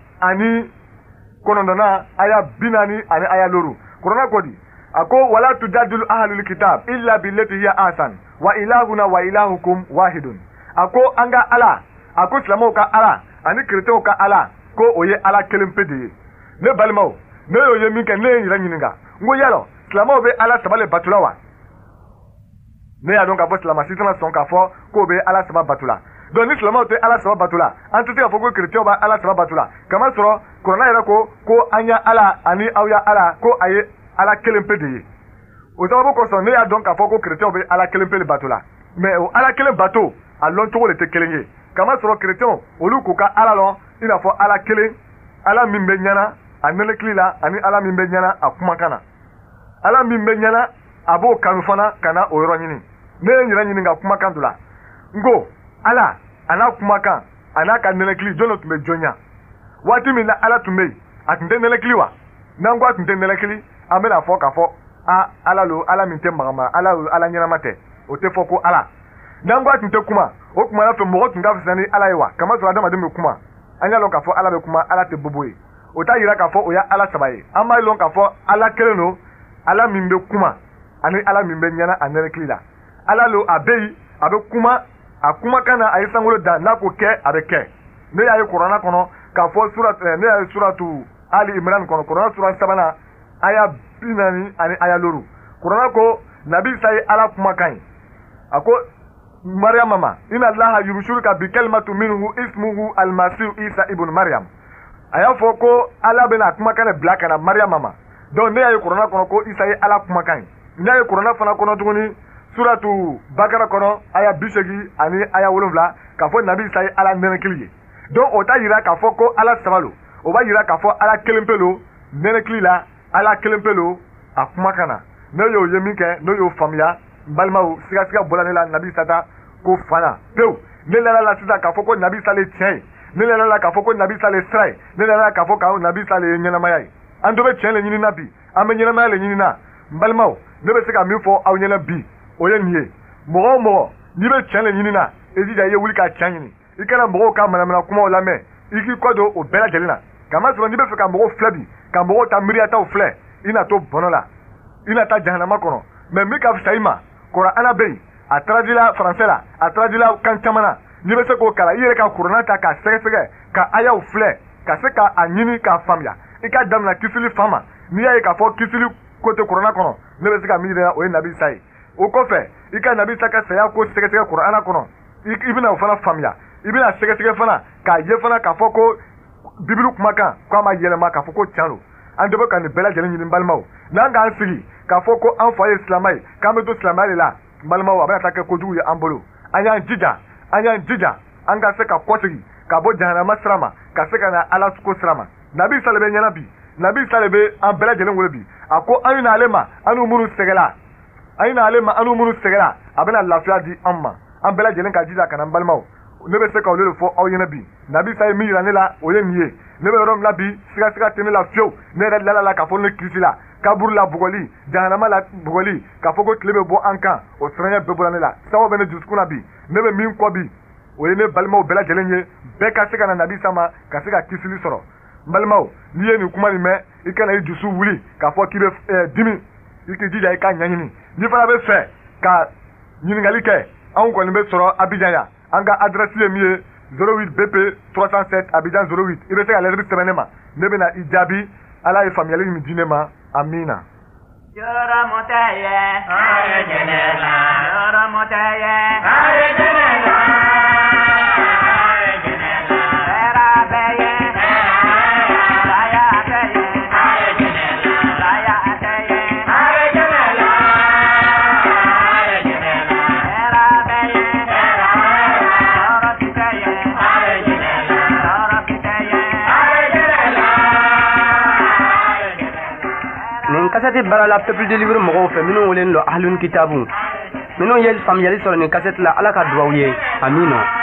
aya 40 aya 5, Kurana ko di? A ko: wala tujadilu ahlul kitab illa billati hiya ahsan wa ilahuna wa ilahukum wahidun. A ko an ka Ala, a ko silamɛw ka Ala ani kerecɛnw ka Ala, ko o ye Ala kelen pe de ye. Ne balimaw, ne y'o ye min kɛ, ne ye n yɛrɛ ɲininka, n ko yalɔ silamɛw bɛ Ala saba le batula wa? Ne y'a dɔn k'a fɔ silamɛ si tɛna sɔn k'a fɔ k'o bɛ Ala saba batula. Donc ni silamɛw tɛ Ala saba batula, an tɛ se k'a fɔ ko kerecɛnw bɛ Ala saba batula, kamasɔrɔ Kuranɛ yɛrɛ ko ko an ya Ala ani aw ya Ala, ko a ye Ala kelen pe de ye. O sababu kosɔn, ne y'a dɔn k'a fɔ ko kerecɛnw bɛ Ala kelen pe de bato la. Mais o Ala kelen bato, a lɔn cogo de tɛ kelen ye, kamasɔrɔ kerecɛnw, olu k'u ka Ala lɔn i n'a fɔ Ala kelen, Ala min bɛ ɲɛna a nɛnɛkili la, ani Ala min bɛ ɲɛna a kumakan na, Ala min bɛ ɲɛna a b'o kanu fana ka na o yɔrɔ ɲini. Ne ye n yɛrɛ ɲininka kumakan dɔ la, n ko Ala a n'a kumakan a n'a ka nɛnɛkili, jɔn de tun bɛ jɔnya? Waati min na Ala tun bɛ yen, a tun tɛ nɛnɛkili wa? N'an ko a tun tɛ nɛnɛkili, an bɛna fɔ k'a fɔ a Ala lo, Ala min tɛ magama, Ala lo, Ala ɲɛnama tɛ, o tɛ fɔ ko Ala. N'an ko a tun tɛ kuma, o tuma na fɛ mɔgɔ tun ka fisa ni Ala ye wa? Kamasɔrɔ adamaden bɛ kuma. An y'a lɔn k'a fɔ Ala bɛ kuma, Ala tɛ bobo ye. O t'a yira k'a fɔ o ye Ala saba ye. An b'a lɔn k'a fɔ Ala kelen don, Ala min bɛ kuma ani Ala min bɛ ɲɛna a nɛnɛkili la. Ala lo, a bɛ yen, a bɛ kuma, a kumakan na a ye sankolo dan, n'a ko kɛ, a bɛ kɛ. Ne y'a ye Kuranna kɔnɔ k'a fɔ surat, ne y'a ye suratu Ali Imran kɔnɔ, Kuranna sura 3 aya 40 ani aya 5, Kuranna ko Nabi Isa ye Ala kumakan ye. A ko Mariama ma: inna Allaha yubshiruka bi kalimatu minhu ismuhu almasihu Isa ibn Mariam. A y'a fɔ ko Ala bɛna kumakan de bila ka na Mariama ma. Donc ne y'a ye Kuranna kɔnɔ ko Isa ye Ala kumakan ye. Ne y'a ye Kuranna fana kɔnɔ tuguni, suratu Bakara kɔnɔ, aya 80 ani aya 7, k'a fɔ Nabi Isa ye Ala nɛnɛkili ye. Donc o t'a yira k'a fɔ ko Ala saba lo. O b'a yira k'a fɔ Ala kelen pe lo nɛnɛkili la, Ala kelen pe lo a kumakan na. Ne y'o ye min kɛ, ne y'o faamuya, n balimaw, sigasiga bɔla ne la Nabi Isa ta ko fan na pewu. Ne lala la sisan k'a fɔ ko Nabi Isa le tiɲɛ ye. Ne lala la k'a fɔ ko Nabi Isa le sira ye. Ne lala la k'a fɔ ko Nabi Isa le ye ɲɛnamaya ye. An dɔ bɛ tiɲɛ le ɲini na bi, an bɛ ɲɛnamaya le ɲini na. N balimaw, ne bɛ se ka min fɔ aw ɲɛna bi, o ye nin ye: mɔgɔ o mɔgɔ n'i bɛ tiɲɛ le ɲini na, i jija i ye wuli ka tiɲɛ ɲini. I kana mɔgɔw ka manamana kumaw lamɛn, i k'i kɔ don o bɛɛ lajɛlen na, kamasɔrɔ n'i bɛ fɛ ka mɔgɔw filɛ bi, ka mɔgɔw ta miiriyataw filɛ, i na to bɔnɔ la, i na taa jahanama kɔnɔ. Mais min ka fisa i ma, Kuranɛ bɛ yen, a traduit français la, a traduit kan caman na, n'i bɛ se k'o kalan, i yɛrɛ ka Kuranɛ ta k'a sɛgɛsɛgɛ, ka ayaw filɛ, ka se k'a ɲini k'a faamuya, i ka damina kisili fan ma. N'i y'a ye k'a fɔ kisili ko tɛ Kuranɛ kɔnɔ, ne bɛ se ka min yira, o ye Nabi Isa ye. O kɔfɛ, i ka Nabi Isa ka saya ko sɛgɛsɛgɛ Kuranɛ kɔnɔ, i bɛna o fana faamuya. I bɛna sɛgɛsɛgɛ fana k'a ye fana k'a fɔ ko Bibulu kumakan ko a ma yɛlɛma, k'a fɔ ko tiɲɛ don. An dɔ bɛ ka nin bɛɛ lajɛlen ɲini, balimaw. N'an k'an sigi k'a fɔ ko an fa ye silamɛ ye, k'an bɛ to silamɛya de la, n balimaw, a bɛna taa kɛ kojugu ye an bolo. An y'an jija, an y'an jija, an ka se ka kɔsegin ka bɔ jahanama sira ma, ka se ka na Ala ko sira ma. Nabi Isa le bɛ ɲɛna bi, Nabi Isa le bɛ an bɛɛ lajɛlen wele bi. A ko an na ale ma, an n'u minnu sɛgɛla, an na ale ma, an n'u minnu sɛgɛla, a bɛna lafiya di an ma. An bɛɛ lajɛlen ka jija ka na. N balimaw, ne bɛ se ka olu de fɔ aw ɲɛna bi. Nabi Isa ye min yira ne la, o ye nin ye. Ne bɛ yɔrɔ min na bi, sigasiga tɛ ne la fiyewu. Ne yɛrɛ lala la k'a fɔ ne kisi la kaburu la bugɔli, jahanama la bugɔli, k'a fɔ ko tile bɛ bɔ an kan, o siranya bɛɛ bɔra ne la. Sababu bɛ ne dusukun na bi. Ne bɛ min kɔ bi, o ye ne balimaw bɛɛ lajɛlen ye, bɛɛ ka se ka na Nabi Isa ma, ka se ka kisili sɔrɔ. N balimaw, n'i ye nin kuma nin mɛn, i kana i dusu wuli k'a fɔ k'i bɛ dimi. I k'i jija i ka ɲɛɲini. N'i fana bɛ fɛ ka ɲininkali kɛ, anw kɔni bɛ sɔrɔ Abidjan yan. An ka adresse ye min ye: 08 BP 307, Abidjan 08. I bɛ se ka lettre sɛbɛn ne ma, ne bɛ na i jaabi. Ala ye faamuyali min di ne ma, amina. Yɔrɔ tɛ ye, yɔrɔ tɛ ye, hɛrɛ bɛ ye, saya tɛ ye, saya tɛ ye, hɛrɛ bɛ ye, tɔɔrɔ si tɛ ye, tɔɔrɔ si tɛ ye. Nin kasɛti baara la Peuple de Libre mɔgɔw fɛ, minnu welelen don Ahlun Kitabu. Minnu ye faamuyali sɔrɔ nin kasɛti la, Ala ka duwawu ye, amina.